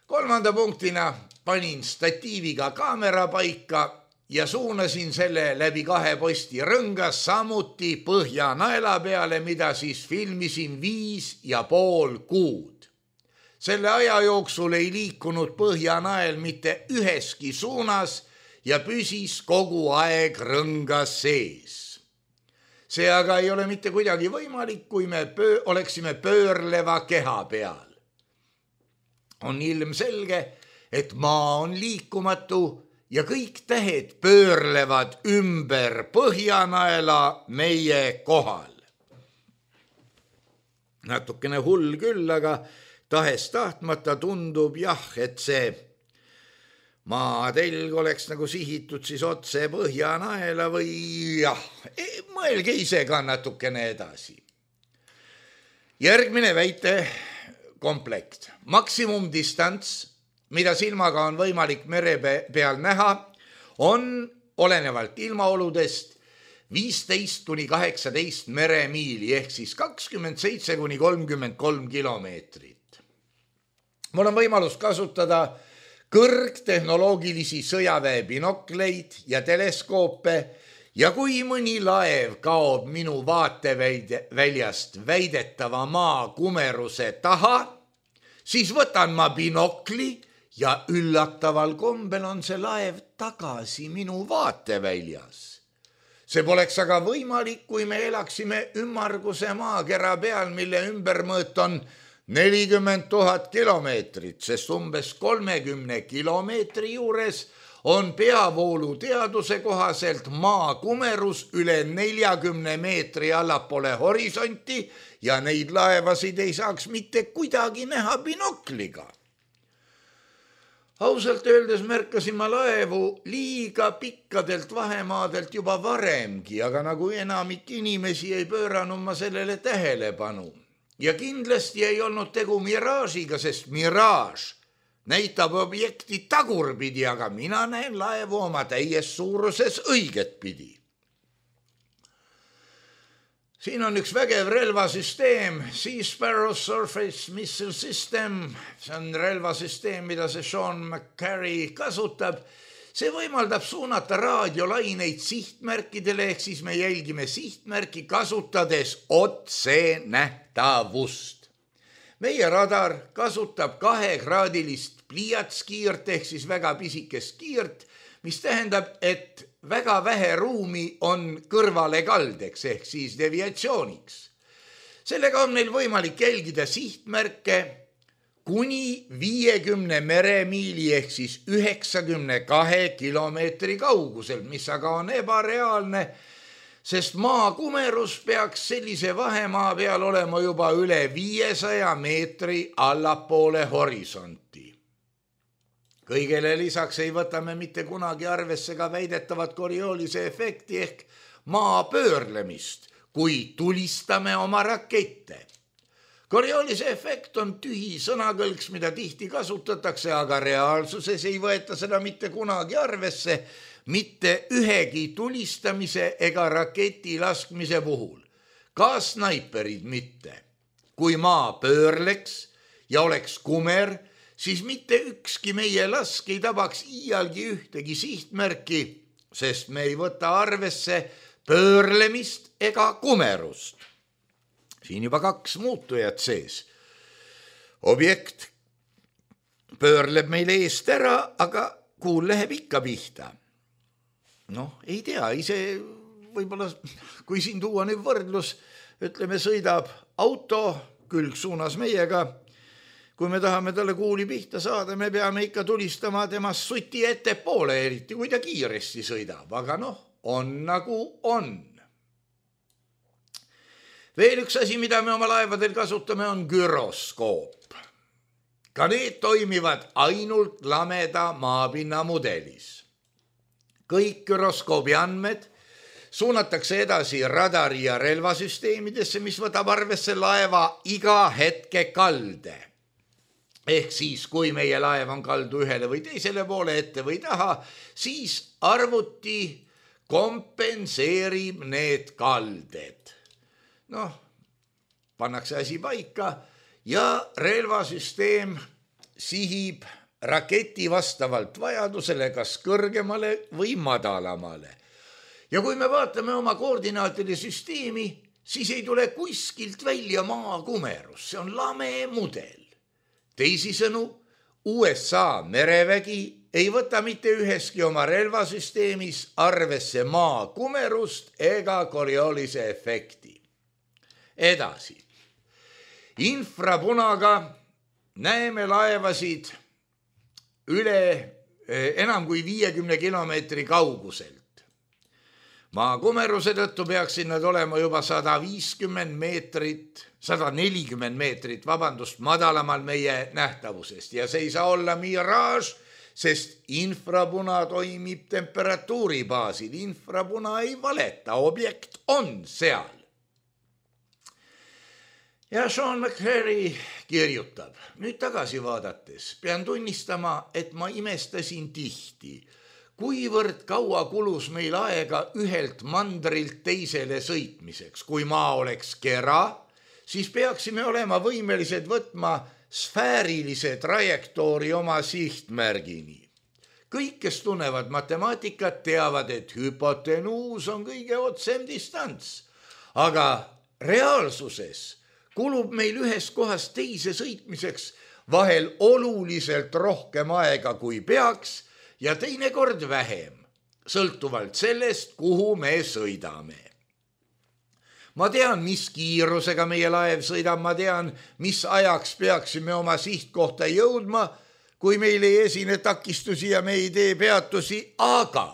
3. punktina panin statiiviga kaamera paika ja suunasin selle läbi 2 posti rõngas samuti Põhjanaela peale, mida siis filmisin 5,5 kuud. Selle aja jooksul ei liikunud Põhjanael mitte üheski suunas ja püsis kogu aeg rõngas sees. see aga ei ole mitte kuidagi võimalik, kui me oleksime pöörleva keha peal. On ilmselge, et maa on liikumatu ja kõik tähed pöörlevad ümber põhjanaela meie kohal. Natukene hull küll, aga tahes tahtmata tundub jah, et see maatelg oleks nagu sihitud siis otse põhjanaela või jah, mõelge ise ka natukene edasi. Järgmine väite komplekt. Maksimumdistants, mida silmaga on võimalik mere peal näha, on olenevalt ilmaoludest 15 kuni 18 meremiili ehk siis 27 kuni 33 kilomeetrit. Mul on võimalus kasutada kõrgtehnoloogilisi sõjaväe binokleid ja teleskoope ja kui mõni laev kaob minu vaateväljast väidetava maa kumeruse taha, siis võtan ma binokli ja üllataval kombel on see laev tagasi minu vaateväljas. See poleks aga võimalik, kui me elaksime ümmarguse maakera peal, mille ümbermõõt on 40 000 kilomeetrit, sest umbes 30 kilomeetri juures on peavoolu teaduse kohaselt maa kumerus üle 40 meetri allapoole horisonti ja neid laevasid ei saaks mitte kuidagi näha binokliga. Ausalt öeldes märkasin ma laevu liiga pikkadelt vahemaadelt juba varemgi, aga nagu enamik inimesi ei pööranud ma sellele tähelepanu. Ja kindlasti ei olnud tegu miraažiga, sest miraaž näitab objekti tagurpidi, aga mina näen laevu oma täies suuruses õiget pidi. Siin on üks vägev relvasüsteem, Sea Sparrow Surface Missile System. See on relvasüsteem, mida see Sean McCarry kasutab. See võimaldab suunata raadiolaineid sihtmärkidele, ehk siis me jälgime sihtmärki kasutades otsenähtavust. Meie radar kasutab 2-kraadilist pliiatskiirt ehk siis väga pisikest kiirt, mis tähendab, et väga vähe ruumi on kõrvale kaldeks ehk siis deviatsiooniks. Sellega on meil võimalik jälgida sihtmärke kuni 50 meremiili ehk siis 92 kilomeetri kaugusel, mis aga on ebareaalne, sest maa kumerus peaks sellise vahemaa peal olema juba üle 500 meetri allapoole horisonti. Kõigele lisaks ei võta me mitte kunagi arvesse ka väidetavat Coriolise efekti ehk maa pöörlemist, kui tulistame oma rakette. Coriolise efekt on tühi sõnakõlks, mida tihti kasutatakse, aga reaalsuses ei võeta seda mitte kunagi arvesse, mitte ühegi tulistamise ega raketi laskmise puhul. Ka snaiperid mitte. Kui maa pöörleks ja oleks kumer, siis mitte ükski meie lask ei tabaks iialgi ühtegi sihtmärki, sest me ei võta arvesse pöörlemist ega kumerust. Siin juba 2 muutujat sees. Objekt pöörleb meil eest ära, aga kuul läheb ikka pihta. Ei tea, ise võib-olla, kui siin tuua nüüd võrdlus, ütleme, sõidab auto külg suunas meiega. Kui me tahame talle kuuli pihta saada, me peame ikka tulistama temast suti ettepoole, eriti kui ta kiiresti sõidab, aga on nagu on. Veel üks asi, mida me oma laevadel kasutame, on güroskoop. Ka need toimivad ainult lameda maapinna mudelis. Kõik güroskoobi andmed suunatakse edasi radari ja relvasüsteemidesse, mis võtab arvesse laeva iga hetke kalde. Ehk siis, kui meie laev on kaldu ühele või teisele poole ette või taha, siis arvuti kompenseerib need kalded. Pannakse asi paika ja relvasüsteem sihib raketi vastavalt vajadusele kas kõrgemale või madalamale. Ja kui me vaatame oma koordinaatide süsteemi, siis ei tule kuskilt välja maa kumerus, see on lame mudel. Teisisõnu, USA merevägi ei võta mitte üheski oma relvasüsteemis arvesse maa kumerust ega Coriolise efekti. Edasi. Infrapunaga näeme laevasid üle enam kui 50 kilomeetri kauguselt. Maa kumeruse tõttu peaksid nad olema juba 140 meetrit madalamal meie nähtavusest ja see ei saa olla miraaž, sest infrapuna toimib temperatuuri baasil. Infrapuna ei valeta, objekt on seal. Ja Sean McCreary kirjutab, nüüd tagasi vaadates pean tunnistama, et ma imestasin tihti, kuivõrd kaua kulus meil aega ühelt mandrilt teisele sõitmiseks. Kui maa oleks kera, siis peaksime olema võimelised võtma sfäärilise trajektoori oma sihtmärgini. Kõik, kes tunnevad matemaatikat, teavad, et hüpotenuus on kõige otsem distants. Aga reaalsuses kulub meil ühest kohast teise sõitmiseks vahel oluliselt rohkem aega kui peaks ja teinekord vähem, sõltuvalt sellest, kuhu me sõidame. Ma tean, mis kiirusega meie laev sõidab, ma tean, mis ajaks peaksime oma sihtkohta jõudma, kui meil ei esine takistusi ja me ei tee peatusi, aga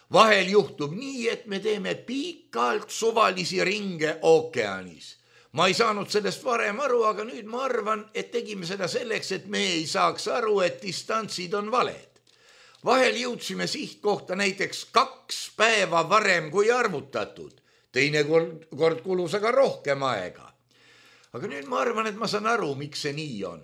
vahel juhtub nii, et me teeme pikalt suvalisi ringe ookeanis. Ma ei saanud sellest varem aru, aga nüüd ma arvan, et tegime seda selleks, et me ei saaks aru, et distantsid on valed. Vahel jõudsime sihtkohta näiteks 2 päeva varem kui arvutatud. Teine kord kulus aga rohkem aega. Aga nüüd ma arvan, et ma saan aru, miks see nii on.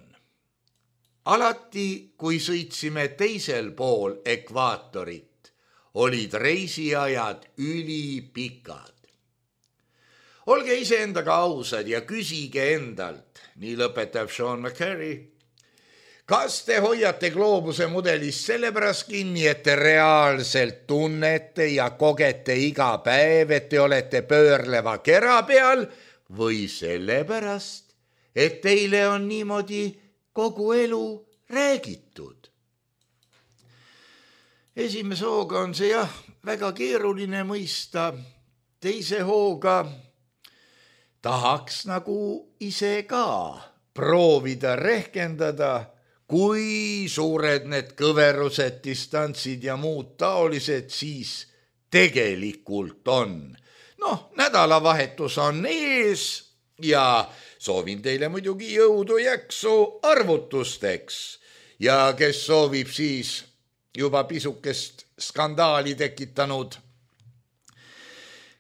Alati, kui sõitsime teisel pool ekvaatorit, olid reisiajad ülipikad. Olge iseendaga ausad ja küsige endalt, nii lõpetab Sean McCreary. Kas te hoiate gloobuse mudelist sellepärast kinni, et te reaalselt tunnete ja kogete iga päev, et te olete pöörleva kera peal või sellepärast, et teile on niimoodi kogu elu räägitud? Esimese hooga on see väga keeruline mõista, teise hooga tahaks nagu ise ka proovida rehkendada, kui suured need kõverused, distantsid ja muud taolised siis tegelikult on. Nädalavahetus on ees ja soovin teile muidugi jõudu jaksu arvutusteks. Ja kes soovib siis juba pisukest skandaali tekitanud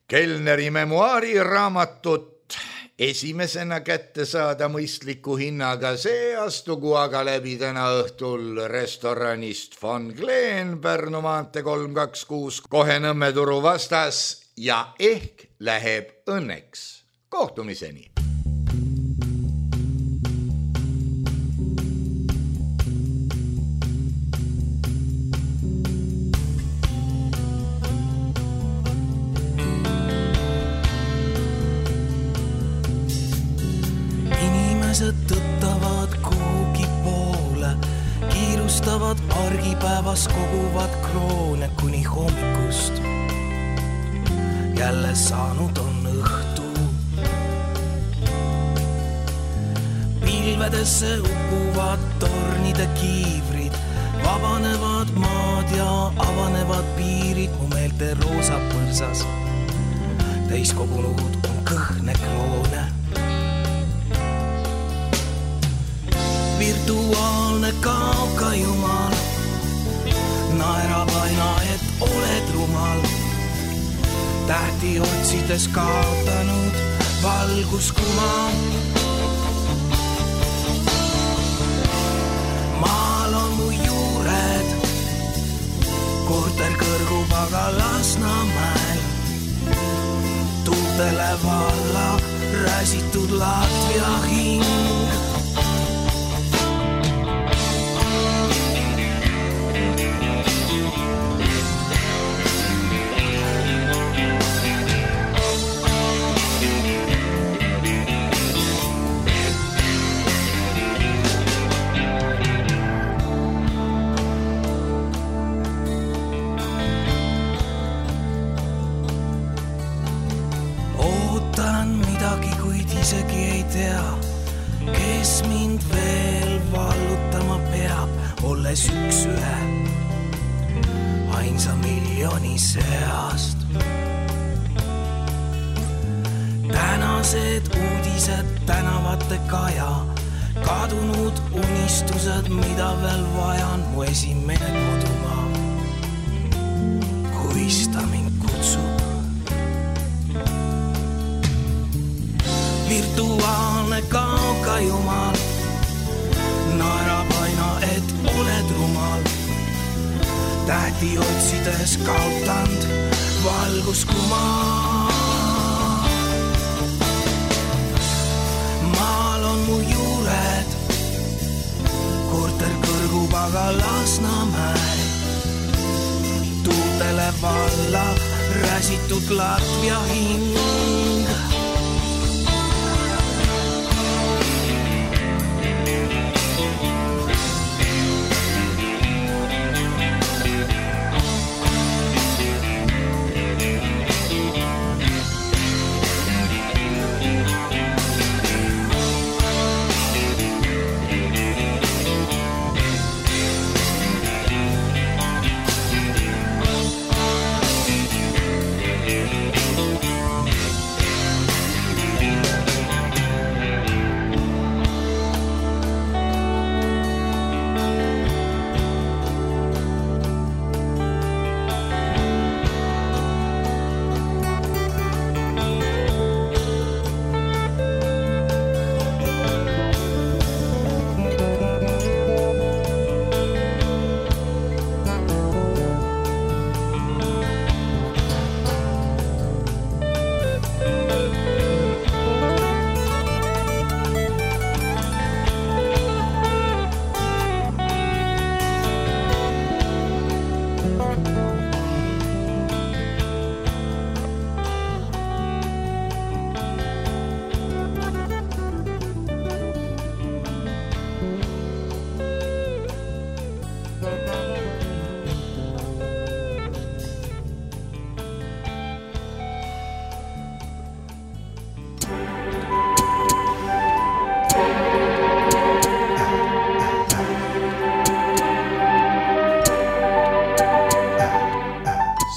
Kellneri memuaari raamatut esimesena kätte saada mõistliku hinnaga, see astugu aga läbi täna õhtul restoranist Von Glen, Pärnu maantee 326, kohe Nõmme turu vastas ja ehk läheb õnneks. Kohtumiseni! Tõttavad kuhugi poole, kiirustavad argipäevas, koguvad kroone kuni hommikust. Jälle saanud on õhtu. Pilvedesse upuvad tornide kiivrid, vabanevad maad ja avanevad piirid mu meelte roosa põrsas. Täis kogunud on kõhne kroone. Virtuaalne kauka jumal naerab aina, et oled rumal. Tähti otsides kaotanud valguskuma. Maal on mu juured, korter kõrgub aga Lasnamäel. Tuultele valla räsitud Latvia hing. kes mind veel vallutama peab, olles üks ühe ainsa miljoni seast. Tänased uudised tänavate kaja, kadunud unistused, mida veel vajan, mu esimene kodumaa, kuis ta mind kutsub. Virtuaalne kauka jumal naerab aina, et oled rumal. Tähti otsides kaotanud valguskumaa. Maal on mu juured, korter kõrgub aga Lasnamäe. Tuultele valla räsitud Latvia hing.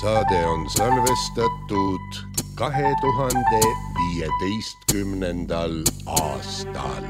Saade on salvestatud 2015. aastal.